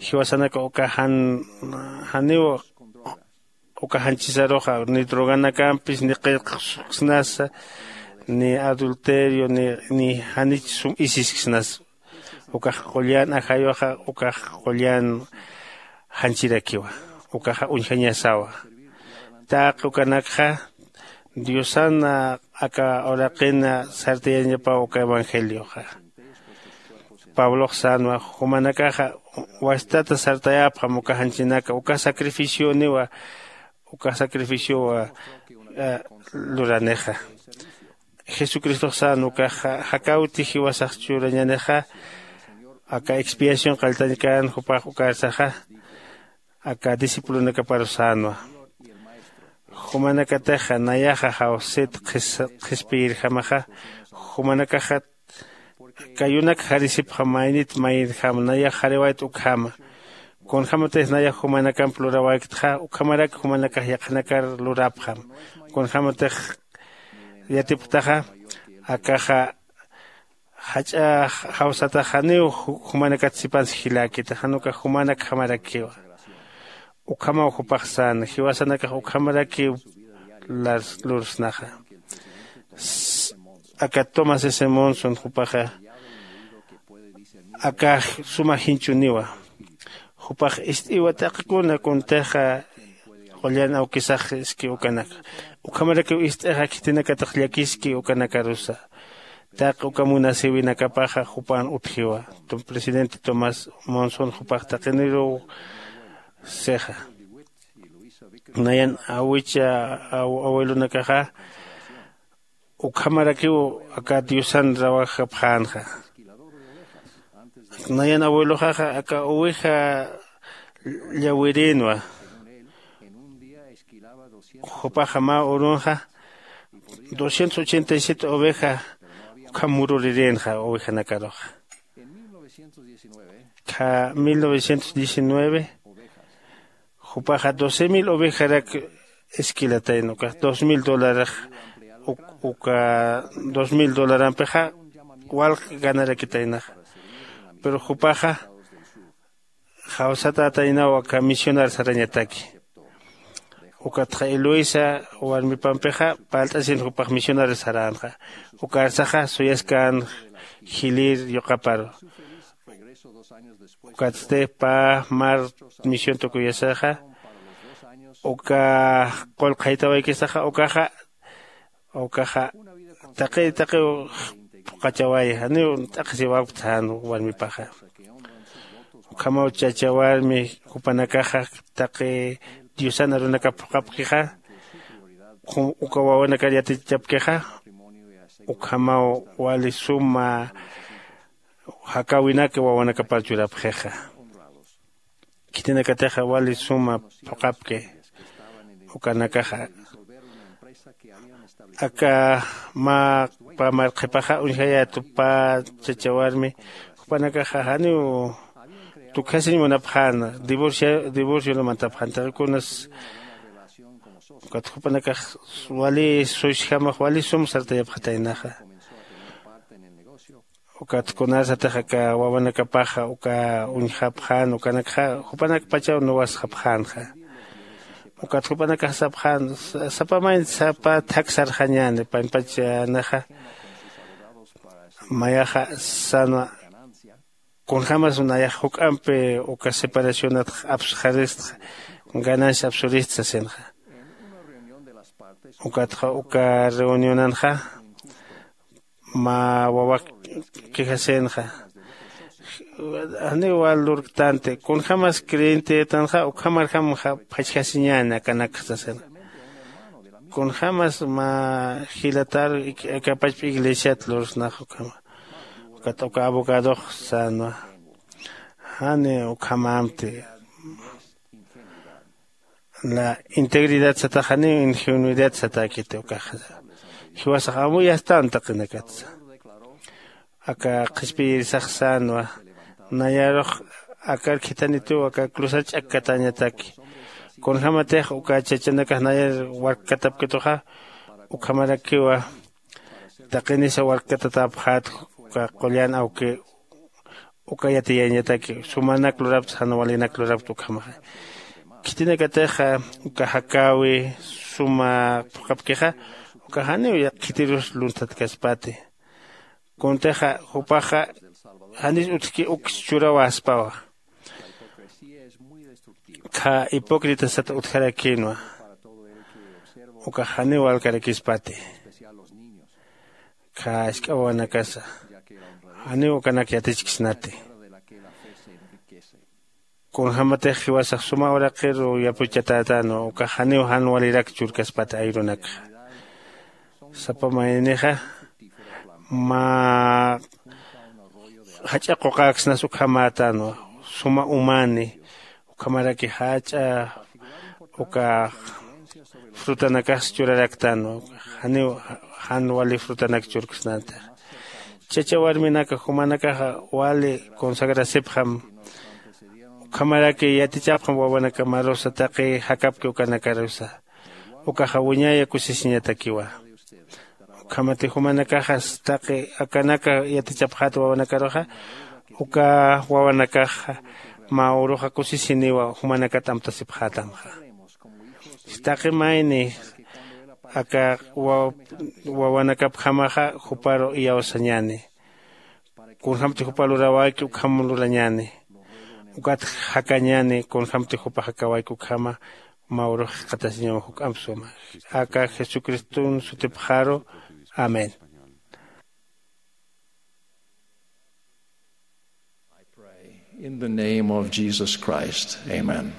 Jiwasanaka uka jan janiw uka janchisaruxa ni droganakampis ni qillqsnasa ni adulterio ni janich sum isisksnasa. Ukax qullan ajayuxa ukax qullan janchirakiwa. Ukaxa uñjañasawa. Taqi ukanakxa diosan aka uraqin sartayañapaw uka evangelioxa. Pablox sänwa jumanakaxa wastata sartayapxam uka janchinaka uka sacrificioniwa uka sacrificiowa luranixa. Jesucristox sän ukax jakäwti jiwasax churañänixa aka expiación qalltañkän jupax ukarsaxa. aka discipulonakaparu sänwa. Jumanakatixa nayaxa jawsit qhispiyirjamaxa, jumanakaxa kayunak jarisipxam maynit mayirjam nayax jariwayt ukhama. Kunjämatix nayax jumanakamp luräwayktxa ukhamarak jumanakax yaqhanakar lurapxam. Kunjämatix yatipxtaxa akaxa jach'a jawsatax janiw jumanakat sipansa jiläkiti jan ukax jumanakjamarakiwa. Ukhamaw jupax säna jiwasanakax ukhamarakiw lursnaxa. Aka tomás s monson jupaxa akax suma jinchuniwa. Jupax ist'iwa taqi kuna kuntixa qullan awkisax iski ukanaka ukhamarakiw ist'ixa khitinakatix llakiski ukanakarusa. Taqi uka munasïwinakapaxa jupan utjiwa. Presidente tomás monson jupax taqiniruw sixa. Nayan awicha abuelonakaxa ukhamarakiw aka diosan rawajapxänxa. Nayan abueloxaxa aka oveja llawirïnwa. Jupaxa mä urunxa doscientos ochenta y siete oveja ukham mururirïnxa ovejanakaruxa. Kha mil novecientos diecinueve jupaxa doce mil ovejarak esquilatayna ukax dos mil dolarax. Uka dos mil dolarampixa walq ganarakitaynaxa. Pero jupaxa jawsatätaynaw aka misionar sarañataki. Ukatxa eloisa warmipampixa palt'asin jupax misionar saränxa. Ukarsaxa suyaskän jilïr yuqaparu. Ukatsti pä mar misión tukuyasaxa uka qullqhaytawaykisaxa ukaxa ukaxa taqi taqiw phuqachaway janiw t'aqhisiwapkta jan warmipaxa. Ukhamaw chacha warmi jupanakaxa taqi diosan arunakap phuqapkixa uka wawanakar yatichapkixa ukhamaw wali suma jakäwinak wawanakapar churapxixa. Khitinakatixa wali suma phuqapki ukanakaxa. Aka mä pä marqhipaxa uñjayätu pä chacha warmi jupanakaxa janiw tukjasiñ munapxäna divorcio divorcionamantapxäna taqi kunas. Ukat jupanakax wali suysjamax wali sum sartayapxataynaxa. Ukat kunarsatix aka wawanakapaxa uka uñjapxän ukanakxa jupanakpachaw nuwasxapxänxa. Ukat jupanakax sapxän sapa mayni sapa thak sarxañäni pampachanaxa. Mayaxa sänwa kunjämas nayax juk'ampi uka separacionatx apsxaristxa ganancia apsurista sasinxa. Ukatxa uka reunionanxa mä wawak quejasinxa. Janiw wal lurktanti kunjämas creyentetanxa ukhamarjam phachjasiñäni akanakxa sasinxa. Kunjämas mä jilatar akapachpa iglesiat lursnax ukhama. Ukat uka abogadox sänwa jani ukhamamti. La integridad sataxaniw ingenuidad satäkiti ukaxa. Jiwasax amuyastan taqinakatsa. Aka qhispiyirisax sänwa nayarux akar khithanitiw aka cruzar ch'akkatañataki. Kunjämatix uka chachanakax nayar warkkatapkituxa ukhamarakiwa. Taqinisa warkkatatäpxät uka qullan awki uka yatiyañataki sumanak lurapta jan walinak lurapta ukhamaxa. Khitinakatixa uka jakäwi suma phuqhapkixa uka janiw khitirus lunthatkaspati. Kuntixa jupaxa janis utjki uks churawaspawa. Kha hipócrita sat utjarakïnwa. Ukax janiw walkarakispati. Kha ask'a wawanakasa janiw ukanak yatichksnati. Kunjämatix jiwasax suma uraqiru yapuchatätänwa ukax janiw jan walirak churkaspati ayrunakxa. Sapa maynixa mä jach'a quqäksnas ukhamätänwa suma umani. Ukhamaraki jach'a uka frutanakax churaraktan, janiw jan wali frutanak churksnanti. Chacha warminaka jumanakaxa wali consagrasipxam, ukhamaraki yatichapxam wawanakamarusa taqi jakapki ukanakarusa. Ukaxa wiñaya kusisiñatakiwa. Ukhamati jumanakaxas taqi akanaka yatichapxat wawanakaruxa, uka wawanakaxa mä uruxa kusisiniwa jumanakat amtasipxätamxa. Taqi mayni aka wa- wawanakapjamaxa juparu iyawsañäni. Kunjämti jupa lurawayki ukham lurañäni. Ukat jakañäni kunjämti jupa jakawayki ukhama. Mä urux jikxatasiñaw juk'amp suma. Aka jesucriston sutipxaru. Amén. I pray in the name of Jesus Christ. Amen.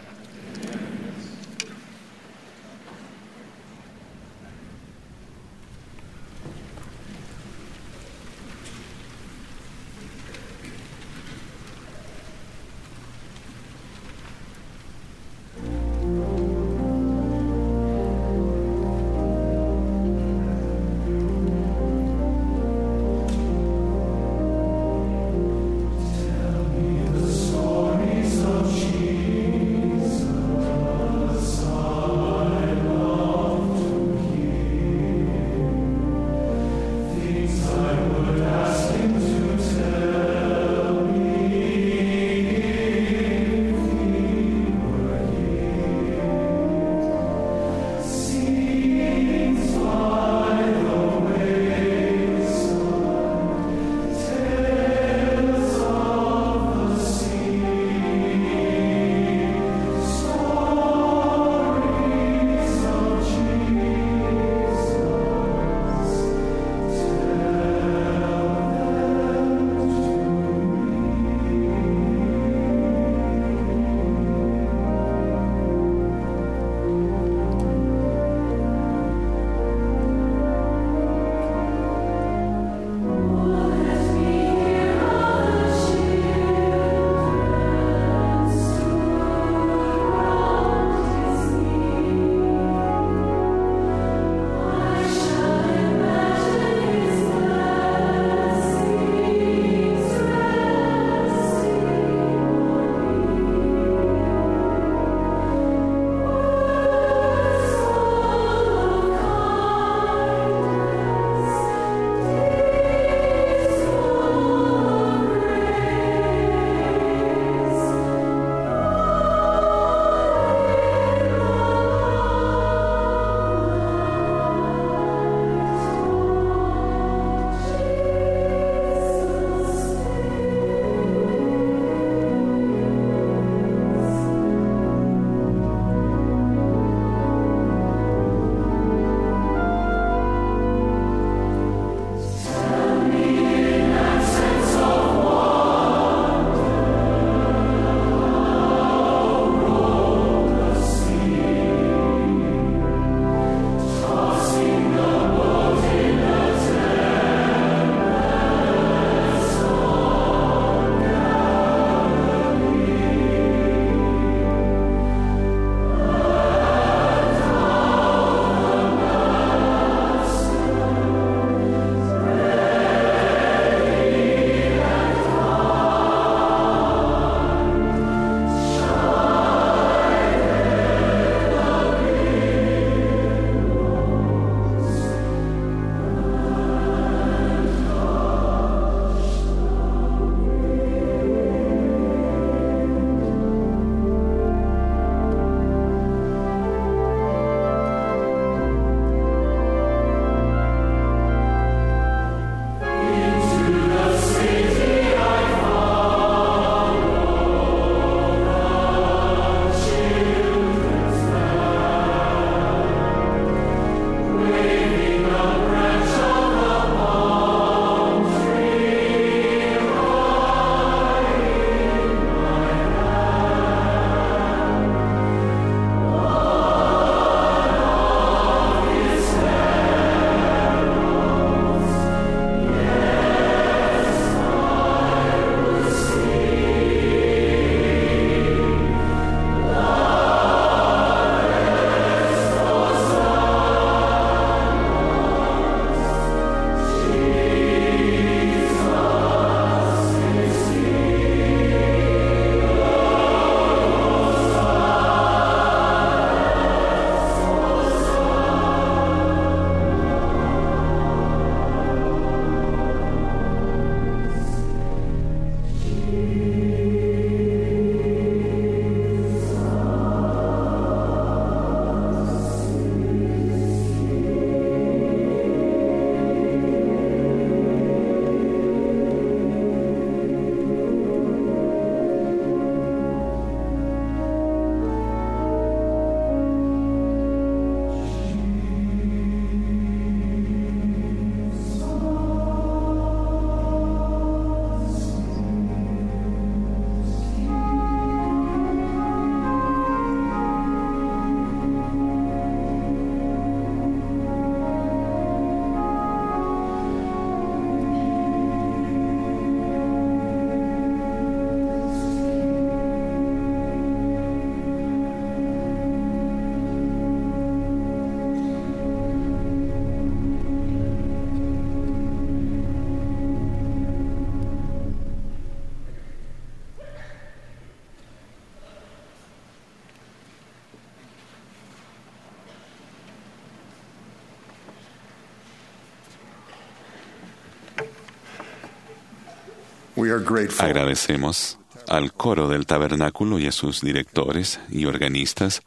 We are grateful. Agradecemos al coro del tabernáculo y a sus directores y organistas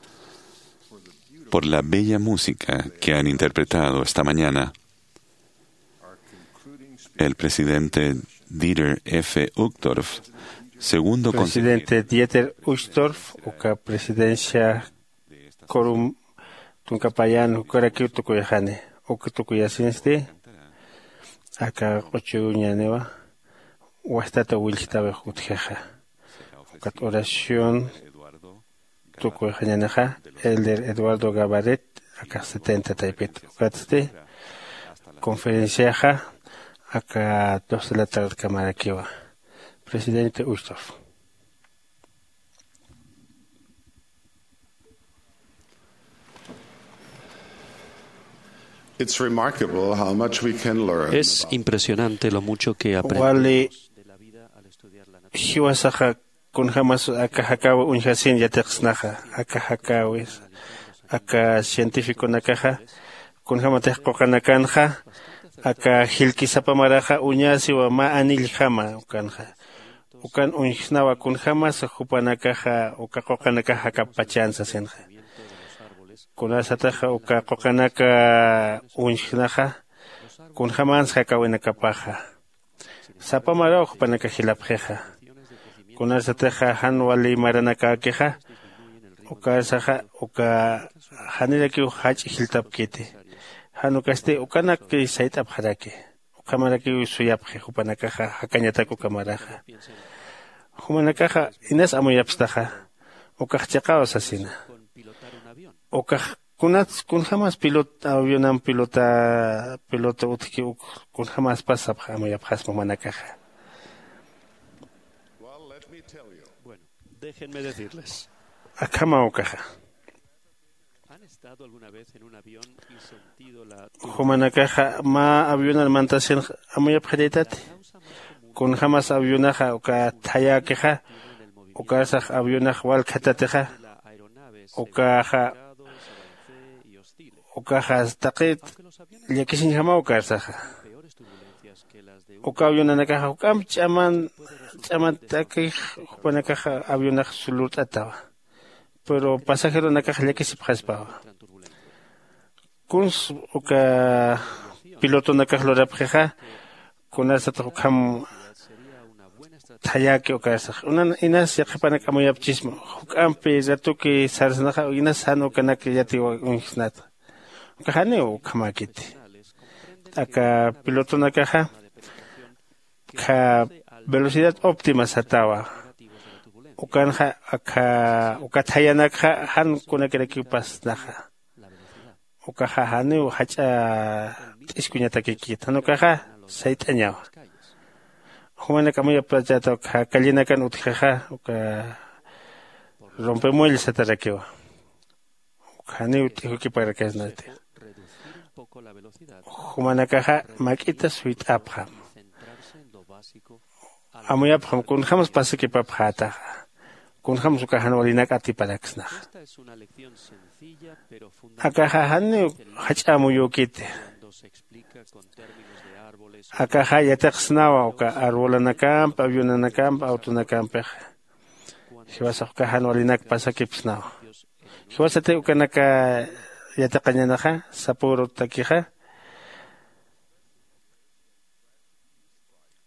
por la bella música que han interpretado esta mañana. El presidente Dieter F. Uchtdorf, segundo consejero. Presidente Dieter Uchtdorf, uka presidencia corum tunka payan ukarakiw tukuyxani, uk tukuyasinsti, aka q'uchuñaniwa, wastata willtawix utjixa. Ukat oración tukuyxañanixa, Elder Eduardo Gabaret, aka setenta taypit. Ukatsti conferenciaxa aka dos de la tarde kamarakiwa. Presidente Uchtdorf. It's remarkable how much we can learn. Es impresionante lo mucho que aprendemos. Wali jiwasaxa kunjämas aka jakäwi uñjasin yatiqsnaxa, aka jakäwis, aka científiconakaxa kunjämatix quqanakanxa aka jilki sapa maraxa uñasiwa mä anilljama ukanxa. Ukan uñjsnawa kunjämas jupanakaxa uka quqanakax jakapachan sasinxa. Kunasataxa uka quqanaka uñjsnaxa kunjämans jakäwinakapaxa. Sapa maraw jupanakax jilapxixa. Kunasataxa jan wali maranakäkixa, ukarsaxa uka janirakiw jach'a jiltapkiti. Jan ukasti ukanaki sayt'apxaraki. Ukhamarakiw suyapxi jupanakaxa jakañatak uka maraxa. Jumanakaxa inas amuyapstaxa, ukax chiqaw sasina. Ukax kunats kunjämas pilot avionam pilota pilota utjki uk kunjämaspas sapx amuyapxasma jumanakaxa. Well, let me tell you. Bueno, déjenme decirles. Akhama ukaxa. ¿Han estado alguna vez en un avión y sentido la turbulencia? Jumanakaxa mä avionar mantasin amuyapxirïtati. Kunjämas avionaxa uka thayäkixa, ukarsax avionax walkhatatixa, ukaxa, ukaxa taqi llakisiñjamaw ukarsaxa. Uka avionanakaxa juk'amp ch'aman, ch'aman t'akix jupanakaxa avionax lurt'atawa. Pero pasajeronakax llakisipxaspawa. Kuns uka pilotonakax lurapxixa, kunasatix ukham thayäki ukarsax. Unan inas yaqhipanak amuyapchisma, juk'ampi ratuki sarsnaxa, inas jan ukanak yatiw uñjsnata. Uka janiw ukhamäkiti. Aka pilotonakaxa, kha velocidad óptima satawa. Ukanxa, akha, uka thayanakxa, jan kunakirakiw pasnaxa. Ukaxa janiw jach'a t'iskuñatakikit, jan ukaxa sayt'añawa. Jumanak amuyapachäta uka callinakan utjixa, uka rompemuelle satarakiwa. Uka janiw t'ijukiparakasnati. Jumanakaxa mak'ita suyt'apxam. Amuyapxam kunjämas pasakipapxätaxa. Kunjämas uka jan walinak atiparaksnaxa. Akaxa janiw jach'a amuyükiti. Akaxa yatiqsnawa uka arbolanakamp, avionanakamp, autonakampixa. Jiwasax uka jan walinak pasakipsnawa. Jiwasatix ukanaka yatiqañänaxa, sapüru takixa.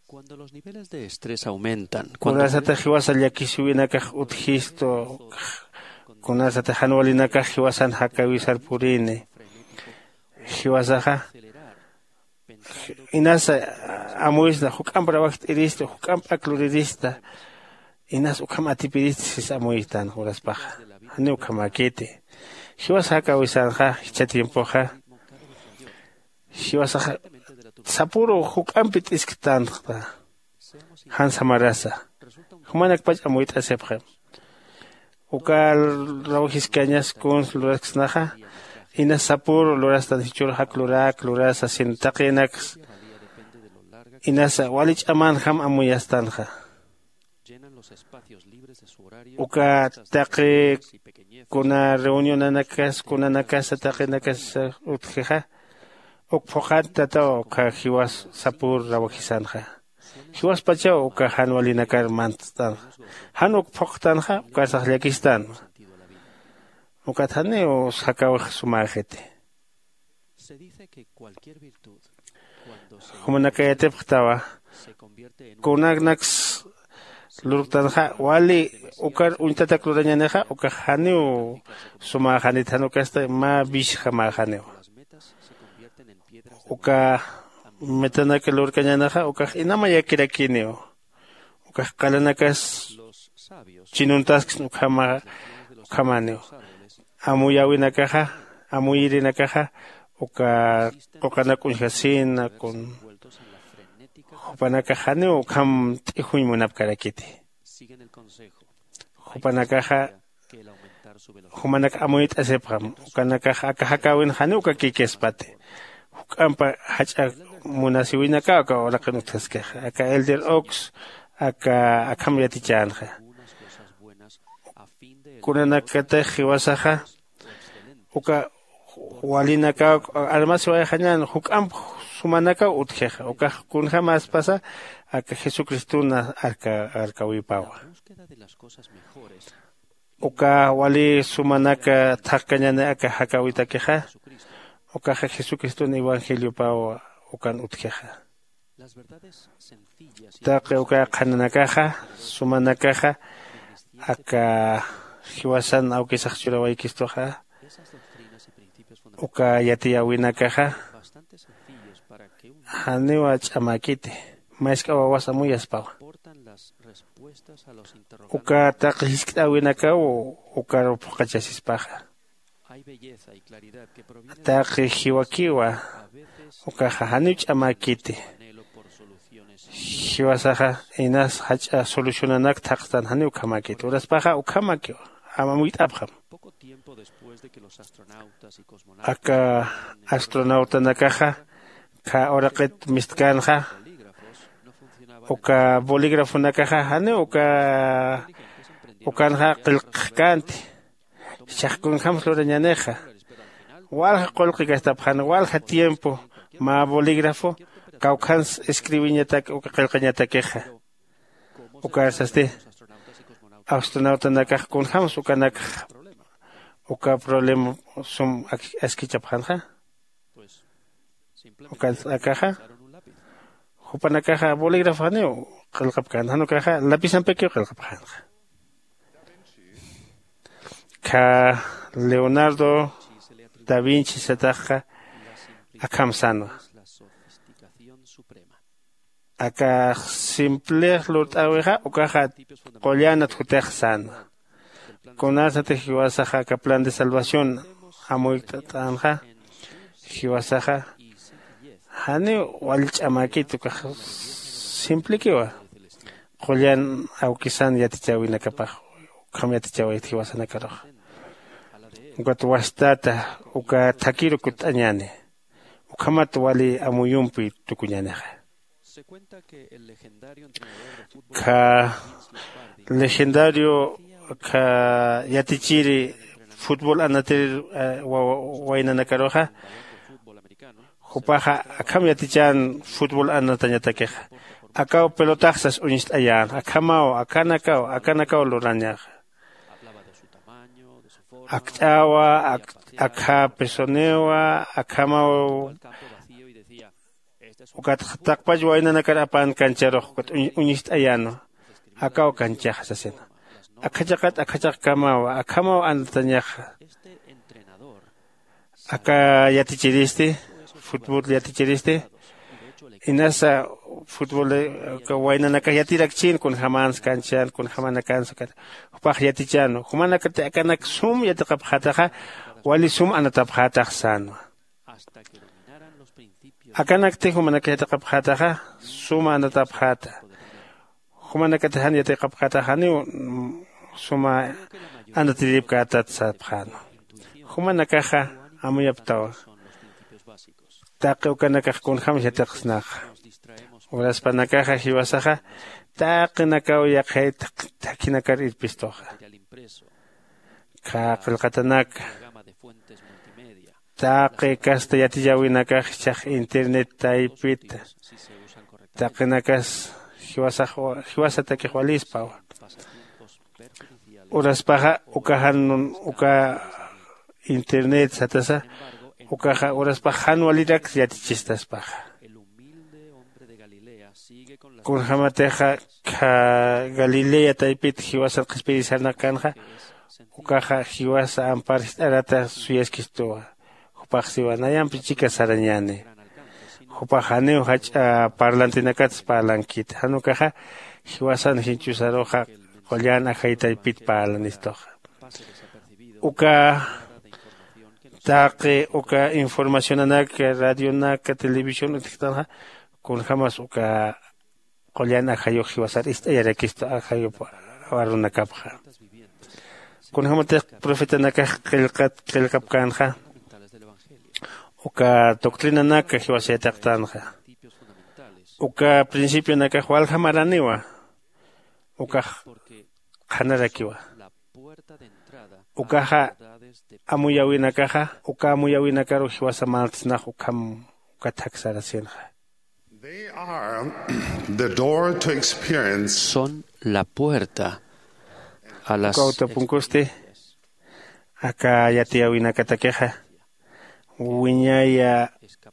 Cuando los niveles de estrés aumentan, cuando... Kunasatix jiwasa llakisiwinakax utjistu, kunasatix jan walinakax jiwasan jakäwisar purini, jiwasaxa inasa amuysna, juk'amp rawajt'irista, juk'amp ak lurirista, inas ukham atipirista sis amuytan uraspaxa. Janiw ukhamäkiti. Jiwas jakäwisanxa, jichha tiempoxa, jiwasaxa sapüru juk'ampi t'isktanxta. Jan samarasa. Jumanakpach amuyt'asipxi. Uka rawjiskañas kuns lurasksnaxa, inas sapüru lurastan, jichhür jak lurak, lurasa, sasin taqinaks, inasa wali ch'amanjam amuyastanxa. Uka taqi kuna reunionanakas, kunanakasa, taqinakasa utjixa, uk phuqhantataw uka jiwas sapüru rawajisanxa. Jiwaspachaw uka jan walinakar mantst'anxa. Jan uk phuqtanxa ukarsax llakistänwa. Ukat janiw sakäwix sumäxiti. Jumanakayatipxtawa kunanaks lurktanxa wali ukar uñtatak lurañänixa ukax janiw sumäxanit jan ukasti mä bishjamäxaniw. Uka metanak lurkañänixa ukax inamayakirakiniw. Ukax qalanakas chinuntasksn ukhama ukhamaniw. Amuyäwinakaxa amuyirinakaxa uka quqanak uñjasina kun jupanakax janiw ukham t'ijuyñ munapkarakiti. Jupanakaxa jumanak amuyt'asipxam ukanakax aka jakäwin janiw uka kikïspati. Juk'ampa jach'a munasiwinakaw aka uraqin utjaskixa aka elder ox aka akham yatichänxa. Kunanakatix jiwasaxa uka walinakaw armasiwayxañän juk'amp sumanakaw utjixa ukax kunjämäspasa aka jesucristun arkäwipawa. Uka wali sumanak thaqkañäni aka jakäwitakixa ukaxa jesucristun evangeliopaw ukan utjixa. Taqi uka qhananakaxa sumanakaxa aka jiwasan awkisax churawaykistuxa uka yatiyäwinakaxa janiwa ch'amäkiti. Mask'a wawas amuyaspawa uka taqi jiskt'äwinakaw ukaru phuqachasispaxa. Taqi jiwakiwa ukaxa janiw ch'amäkiti. Jiwasaxa inas jach'a solucionanak thaqstan janiw ukhamäkiti uraspaxa ukhamakiwa. Amuyt'apxam aka astronautanakaxa kha uraqit mistkänxa uka bolígrafonakaxa janiw uka ukanxa qillqxkänti. Jichhax kunjämsa lurañänixa walja qullqi gastapxäna walja tiempo mä bolígrafo kawkhans escribiñatak uka qillqañatakixa. Ukarsasti astronautanakax kunjämsa ukanakxa uka problema sum askichapxänxa. Ukansa akaxa jupanakaxa bolígrafo janiw qillqapkänxa jan ukaxa lapisampikiw qillqapxänxa. Kha leonardo da vinci sataxxa akham sänwa. Aka simplix lurt'äwixa ukaxa qullanat jutix sänwa. Kunasatix jiwasaxa aka plan de salvación amuyktat'änxa jiwasaxa janiw wal ch'amäkit ukax simplikiwa. Qullan awkisan yatichäwinakapax ukham yatichäwayt jiwasanakaruxa ukat wastata uka thakhiru kutt'añäni. Ukhamat wali amuyumpi tukuñänixa. Kha legendario kha yatichiri futbol anatir waynanakaruxa jupaxa akham yatichän futbol anatañatakixa. Akaw pelotaxsas uñst'ayän akhamaw akanakaw akanakaw lurañaxa. Akch'awa akha pesoniwa akhamaw. Ukat taqpach waynanakar apan kancharux ukat uñist'ayänwa. Akaw kanchaxa sasina. Akhachaqat akhachaqkamawa akhamaw anatañaxa. Aka yatichiristi futbol yatichiristi inasa futbol waynanakax yatirakchin kunjämänsa kanchan kunjämanakansa ukat jupax yatichänwa jumanakati akanak sum yatiqapxätaxa wali sum anatapxätax sänwa. Akanakti jumanakax yatiqapxätaxa suma anatapxäta. Jumanakati jan yatiqapxätaxa janiw suma anatiripkätat sapxänwa. Jumanakaxa amuyaptawa taqi ukanakax kunjämsa yatiqsnaxa. Uraspanakaxa jiwasaxa taqinakaw yaqhayt thakhinakar irpistuxa. Kha qillqatanaka taqi kasta yatichäwinakax jichhax internet taypita taqinakas jiwasatakix walispawa. Uraspaxa uka jan uka internet satasa ukaxa uraspax jan walirak yatichist'aspaxa. Kunjämatixa galilea taypit jiwasan qhispiyir sarnaqkänxa ukaxa jiwasa ampar jist'arata suyaskistuwa. Jupax siwa nayampi chika sarañäni. Jupax janiw jach'a parlantinakats parlankiti jan ukaxa jiwasan jinchusaruxa qullan ajay taypit parlanistuxa. Uka taqi uka informacionanak radionaka televisión utjktanxa kunjämas uka qullan ajayux jiwasar ist'ayarakistu ajayup arunakapxa. Kunjämatix profetanakax qillqat qillqapkänxa uka doctrinanaka jiwasa yatiqtänxa uka principionakax walja maraniwa. Ukax qhanarakiwa. Ukaxa amuyäwinakaxa uka amuyäwinakaru jiwasa mantsnax ukham ukat jaksarasinxa. They are the door to experience. Son la puerta a las uka utapunkusti aka yatiyäwinakatakixa wiñaya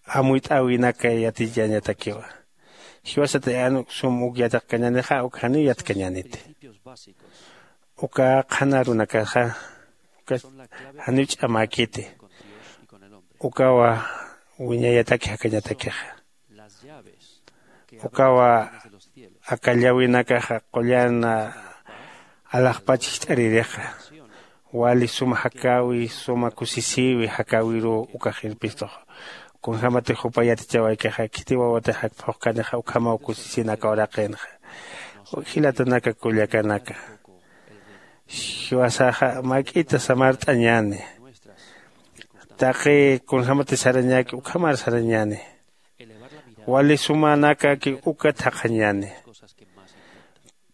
amuyt'äwinaka yatiyañatakiwa. Jiwasati jan sum uk yatiqkañänixa uk janiw yatkañäniti. Uka qhanarunakaxa uka janiw ch'amäkiti. Ukawa wiñayataki jakañatakixa. Ukawa aka llawinakaxa qullan alaxpach jich'aririxa wali suma jakäwi suma kusisïwi jakäwiruw ukax irpistux. Kunjämatix jupa yatichawaykixa khiti wawatix jakphuqkanixa ukhamaw kusisin aka uraqinxa. Jilatanaka kullakanaka, jiwasaxa mak'ita samart'añäni. Taqi kunjämatix sarañäki ukhamar sarañäni. Wali sumanakaki ukat jaqhañäni.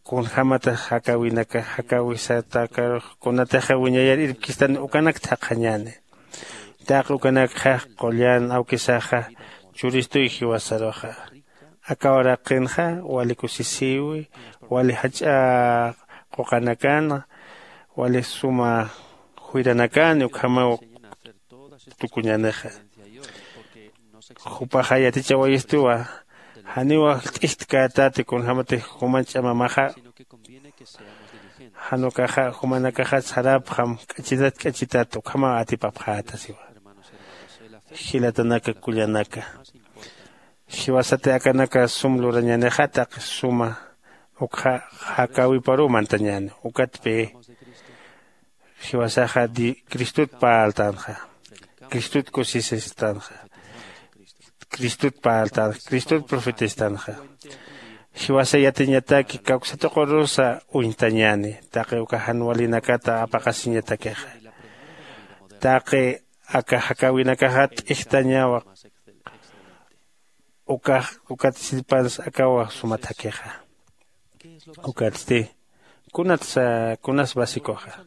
Kunjämatix jakäwinaka jakäwisatakar kunatixa wiñayar irpkistani ukanakt jaqhañäni. Taqi ukanakxa qullan awkisaxa churistuy jiwasaruxa. Aka uraqinxa wali kusisïwi, wali jach'a quqanakan, wali suma juyranakani ukhamaw tukuñänixa. Jupaxa yatichawayistuwa janiw jilt'istkätati kunjämatix juman ch'amamaxa. Jan ukaxa jumanakaxa sarapxam k'achitat k'achitat ukhamaw atipapxäta siwa. Jilatanaka kullanaka, jiwasati akanaka sum lurañänixa taqi suma ukxa jakäwiparuw mantañäni. Ukatpï jiwasaxa cristot parltänxa, cristot kusisistanxa, cristot parltänxa, cristot profetistanxa. Jiwasa yatiñataki kawksatuqurusa uñtañäni. Taqi uka jan walinakata apaqasiñatakixa taqi aka jakäwinakaxa t'ijtañawa. Ukax ukat sirpansa akawa sumathakixa. Ukatsti kunatsa kunas basicoxa?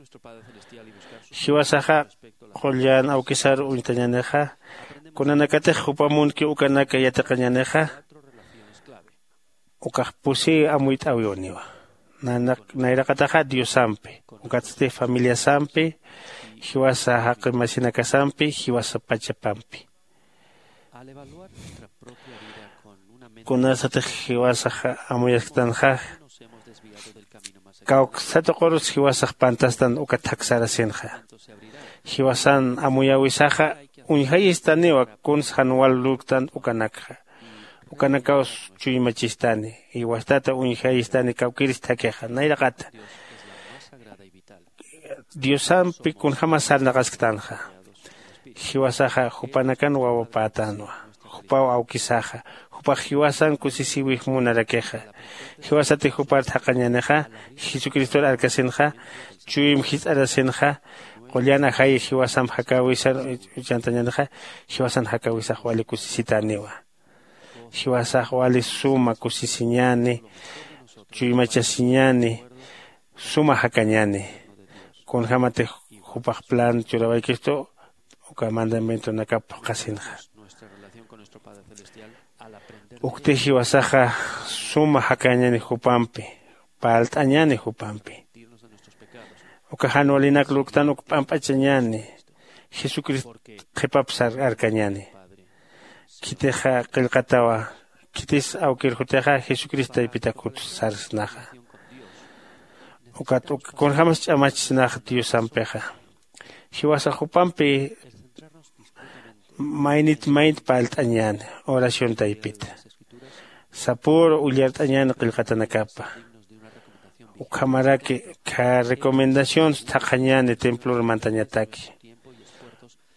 Jiwasaxa qullan awkisar uñtañänixa, kunanakatix jupa munki ukanaka yatiqañänixa ukax pusi amuyt'äwiwaniwa. Nayraqataxa diosampi, ukatsti familiasampi, jiwasa jaqi masinakasampi, jiwasa pachapampi. Kunasatix jiwasax amuyasktanxa, kawksatuqurus jiwasax pantastan ukat jaksarasinxa. Jiwasan amuyäwisaxa uñjayistaniwa kuns jan wal lurktan ukanakxa. Ukanakaws chuymachistani, jiwastata uñjayistani kawkiristhakixa nayraqata. Diosampi kunjämas sarnaqasktanxa, jiwasaxa jupanakan wawapätänwa. Jupaw awkisaxa, jupax jiwasan kusisïwix munarakixa. Jiwasatix jupar thaqhañänixa, jesucristor arkasinxa, chuyim jist'arasinxa, qullan ajayix jiwasamp jakäwisar uchhantañänixa, jiwasan jakäwisax wali kusisitäniwa. Jiwasax wali suma kusisiñäni, chuymachasiñäni, suma jakañäni. Kunjämatix jupax plan churawaykistu uka mandamientonakap phuqhasinxa. Ukti jiwasaxa suma jakañani jupampi, parlt'añani jupampi. Uka jan walinak lurktan uk p'amp'achañani, jesucristo qhipap sar arkañani. Khitixa qillqatawa, khitis awkir jutixa jesucristo taypitak jut sarsnaxa. Ukat uk kunjämas ch'amachañax diosampixa, jiwasa jupampi maynit maynit parlt'añäni oración taypita. Sapüru ullart'añäni qillqatanakapa. Ukhamaraki kha recomendaciones thaqhañäni templor mantañataki.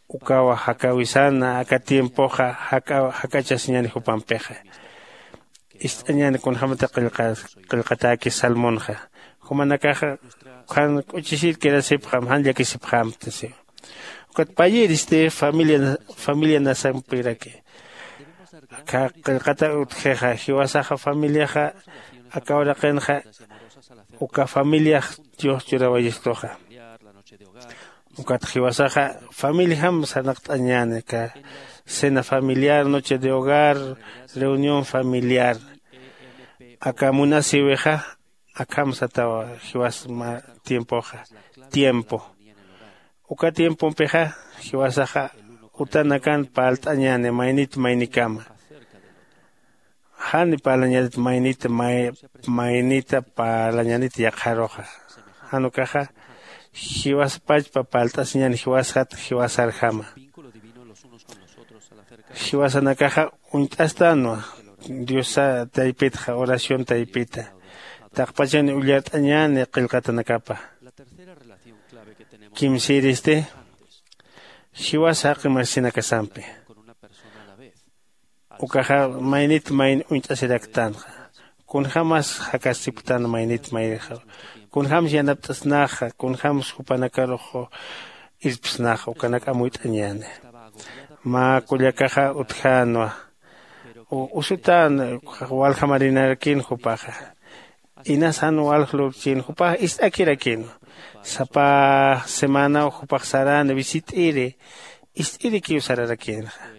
Ukawa jakäwisana aka tiempoxa jak'achasiñäni jupampixa. Ist'añäni kunjämati qillqatäki salmonxa. Jumanakaxa jan k'uchisir quedasipxam jan llakisipxamti siwa. Ukat payiristi familia nasampiraki. Aka qillqata utjixa jiwasaxa familiaxa aka uraqinxa uka familiax dios churawayistuxa. Ukat jiwasaxa familijam sarnaqt'añäni aka cena familiar, noche de hogar, reunión familiar. Aka munasïwixa akham satawa jiwas tiempoxa. Tiempo uka tiempompixa jiwasaxa utanakan parlt'añäni maynit maynikama. Jani parlañanit maynita maynita parlañanit yaqharuxa. Jan ukaxa jiwaspachpa parlt'asiñäni jiwasjat jiwasarjama. Jiwasanakaxa uñt'astanwa diosa taypitxa oración taypita. Taqpachan ullart'añäni qillqatanakapa. Kimsïristi jiwasa jaqi marsinakasampi. Ukaxa maynit mayni uñt'asiraktanxa. Kunjämas jakasipktan maynit maynixa. Kunjämsa yanapt'asnaxa kunjämsa jupanakarux irpsnaxa ukanak amuyt'añäni. Mä kullakaxa utjänwa. Usutän walja marinarakïn jupaxa. Inas jan walja lurkchïn jupax ist'akirakïnwa. Sapa semanaw jupax saräni visit'iri. Ist'irikiw sararakïnxa.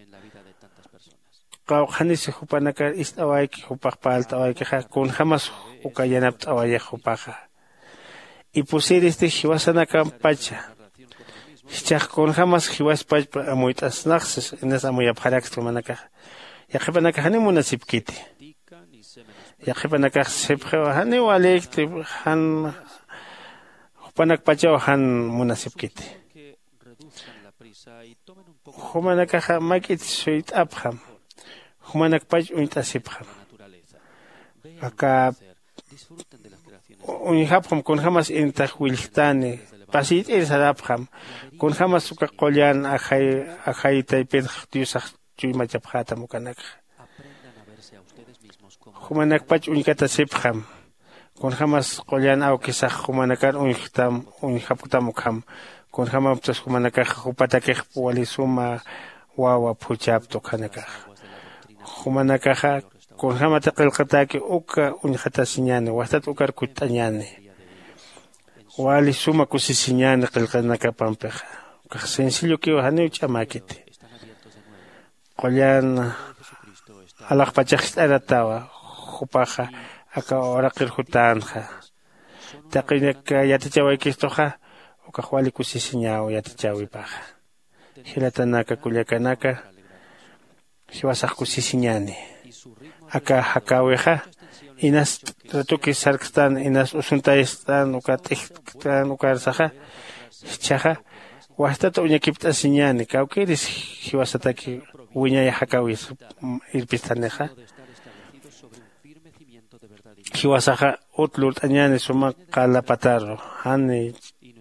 Qawqhanisi jupanakar ist'awayki jupax parlt'awaykixa kunjämas uka yanapt'awayix jupaxa. Ipusïristi jiwasanakampacha. Jichhax kunjämas jiwaspachpa amuyt'asnaxsis inas amuyapxaraksti jumanakaxa. Yaqhipanakax janiw munasipkiti. Yaqhipanakax sipxiw janiw walïkti. Jan jupanakpachaw jan munasipkiti. Jumanakaxa mak'it suyt'apxam. Jumanakpach uñt'asipxam. Aka uñjapxam kunjämas intax willjtani. Pasiyt'ir sarapxam. Kunjämas uka qullan ajay ajay taypinx diosax chuymachapxätam ukanakxa. Jumanakpach uñkatasipxam. Kunjämas qullan awkisax jumanakar uñjktam uñjapktam ukham. Kunjämapchas jumanakaxa jupatakixp wali suma wawa phuchhapta ukhanakaxa. Jumanakaxa kunjämati qillqatäki uka uñjatasiñäni wastat ukar kutt'añäni. Wali suma kusisiñäni qillqanakapampixa. Ukax sencillokiw janiw ch'amäkiti. Qullan alaxpachax jist'aratawa. Jupaxa aka uraqir jutänxa. Taqinak yatichawaykistuxa ukax wali kusisiñaw yatichäwipaxa. Jilatanaka kullakanaka, jiwasax kusisiñäni. Aka jakäwixa inas ratuki sarkstan inas usuntayastan uka t'ijtktan ukarsaxa. Jichhaxa wastata uñakipt'asiñäni kawkïris jiwasataki wiñay jakäwis irpistanixa. Jiwasaxa ut lurt'añäni suma qala pataru jan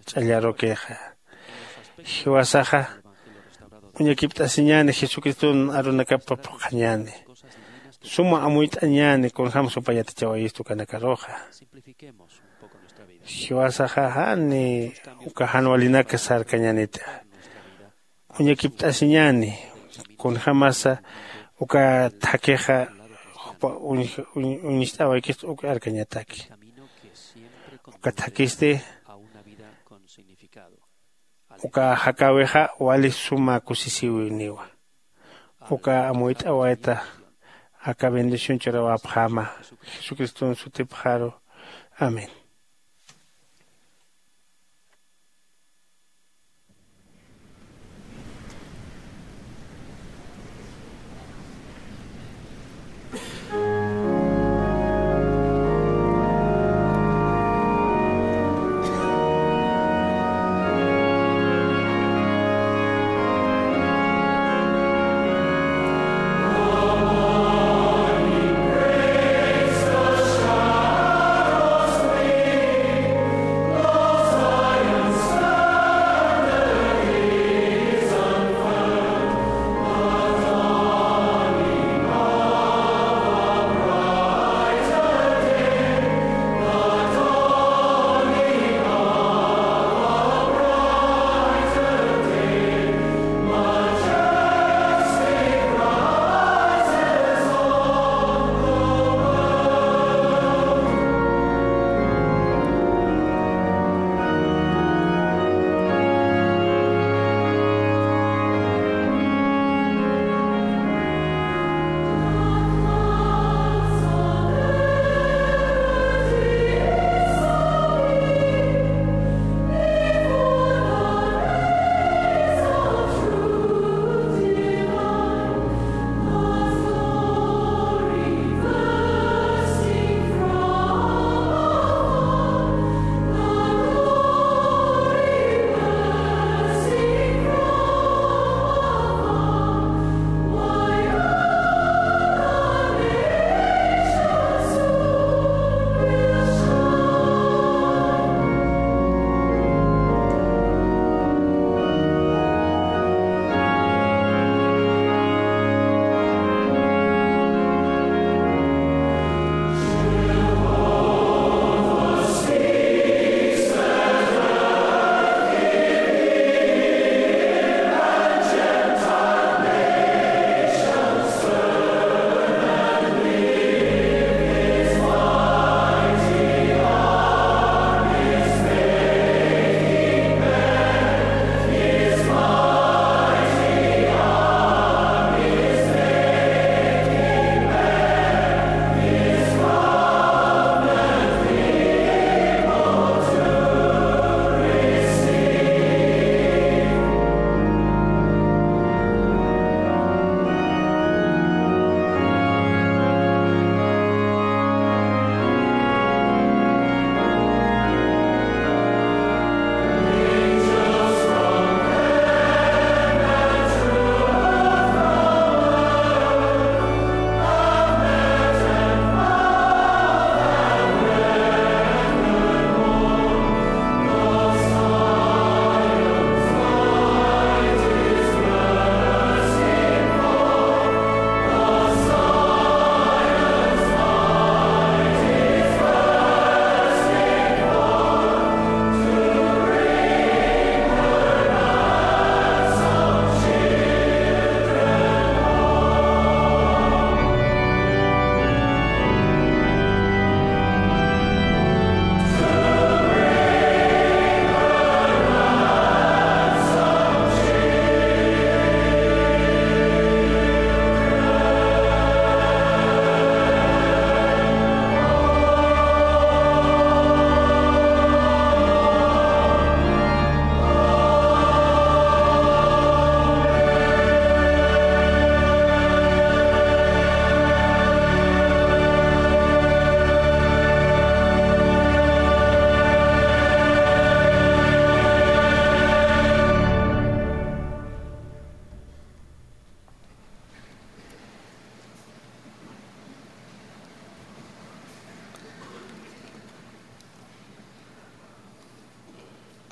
ch'allarukixa. Jiwasaxa uñakipt'asiñäni jesucriston arunakapa phuqhañäni. Suma amuyt'añäni kunjämsa upa yatichawayistu ukanakaruxa. Jiwasaxa jani uka jan walinak sarkañänita. Uñakipt'asiñäni kunjämasa uka thakhixa jupa uñist'awaykistu uk arkañataki. Uka thakhisti uka jakäwixa wali suma kusisïwiniwa. Uka amuyt'awayta aka bendición ch'urawapxama. Jesucriston sutipxaru. Amén.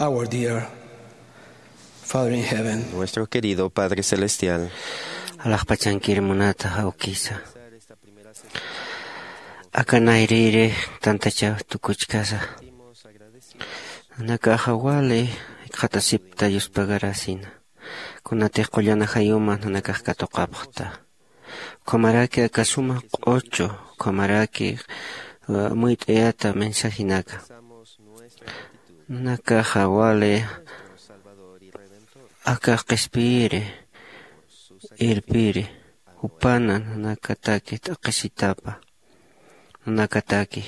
Our dear Father in Heaven. Nuestro querido Padre Celestial. Alaxpachankir munata awkisa. Aka nayrïri tantachaw tukuchkasa, nanakaxa wali jikxatasipta yuspagarasina. Kunatix qullana jayuma nanakax katuqapxta. Ukhamaraki aka suma q'uchu, ukhamaraki, uh, muyt'ayata mensajinaka. Nanakaxa wali aka qhispiyiri, irpiri, Jupana nanakataki t'aqhisitapa nanakataki.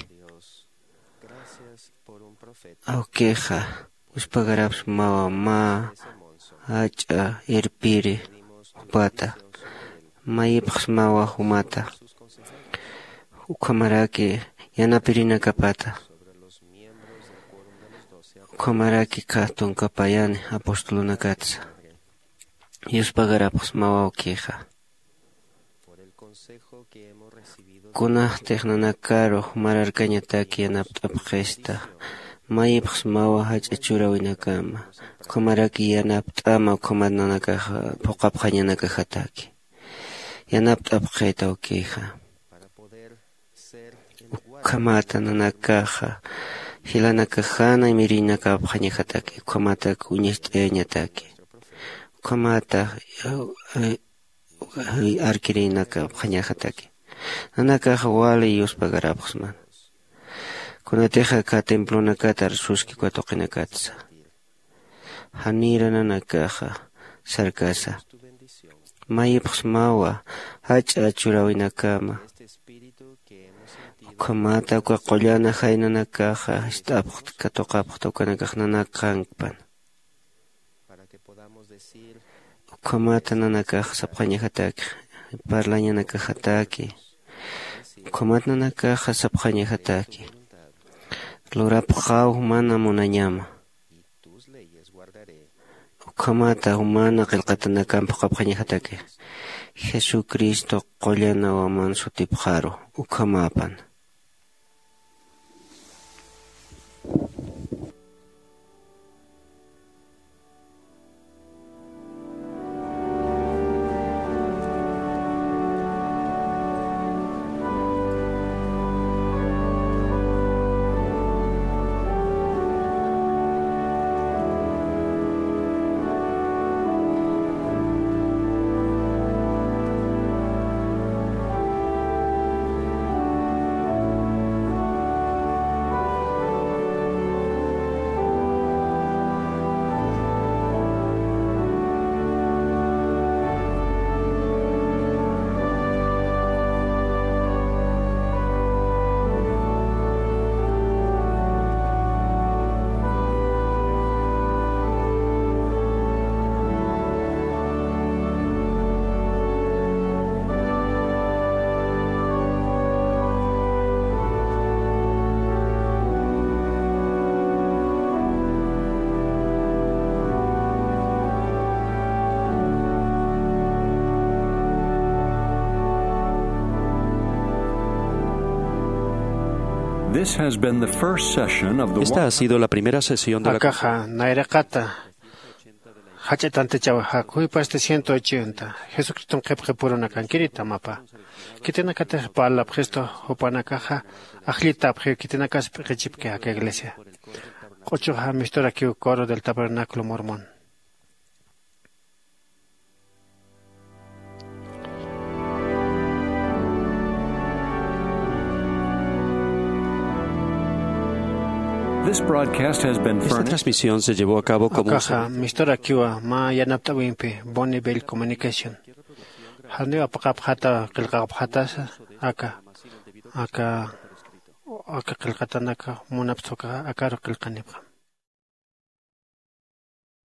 Awkixa uspagarapxsmawa mä jach'a irpiri jupata. Mayipxsmawa jumata ukhamaraki yanapirinakapata. Ukhamaraki kha tunkapayani apostolunakatsa yuspagarapxsmawa awkixa. Kunajtix nanakaru jumararkañataki yanapt'apxista mayipxsmawa jach'a churawinakama ukhamaraki yanapt'ama ukhamat nanakaxa phuqapxañanakajataki yanapt'apxita awkixa. Ukhamata nanakaxa jilanakajana imirinakapxañajataki ukhamatak uñacht'ayañataki ukhamata arkirinakapxañajataki. Nanakaxa wali yuspagarapxsmana kunatixa kha templonakatar suski uka tuqinakatsa. Janira nanakaxa sarkasa mayipxsmawa jach'a churawinakama ukhamata uka qullana jaynanakaxa jist'apxta katuqapxta ukanakax nanakankpan. Ukhamata nanakaxa sapxañajataki parlañanakajataki. Ukhamata nanakaxa sapxañajataki lurapxaw mana munañama. Ukhamata jumana qillqatanakam phuqhapxañajataki jesucristo qullanawaman sutipxaru. Ukhamapan. This has been the first session of the Esta ha sido la primera sesión de la Akaxa nayraqata jach'a tantichawa jakhuy pasti ciento ochenta. Jesucriston qhipqi purunakankirita mapa. Khitinakatix parlapxistu jupanakaxa ajllitapxiw khitinakas p'iqichipki aka iglesia. Q'uchuxa misturakiw coro del tabernáculo mormón. This broadcast has been Esta furnished. Transmisión se llevó a cabo como un Akaxa servicio. Misturakiwa mä yanapt'awimpi Bonneville Communication. Janiw apaqapxata qillqaqapxatasa aka aka aka qillqatanaka munapsuka akaru qillqanipxam.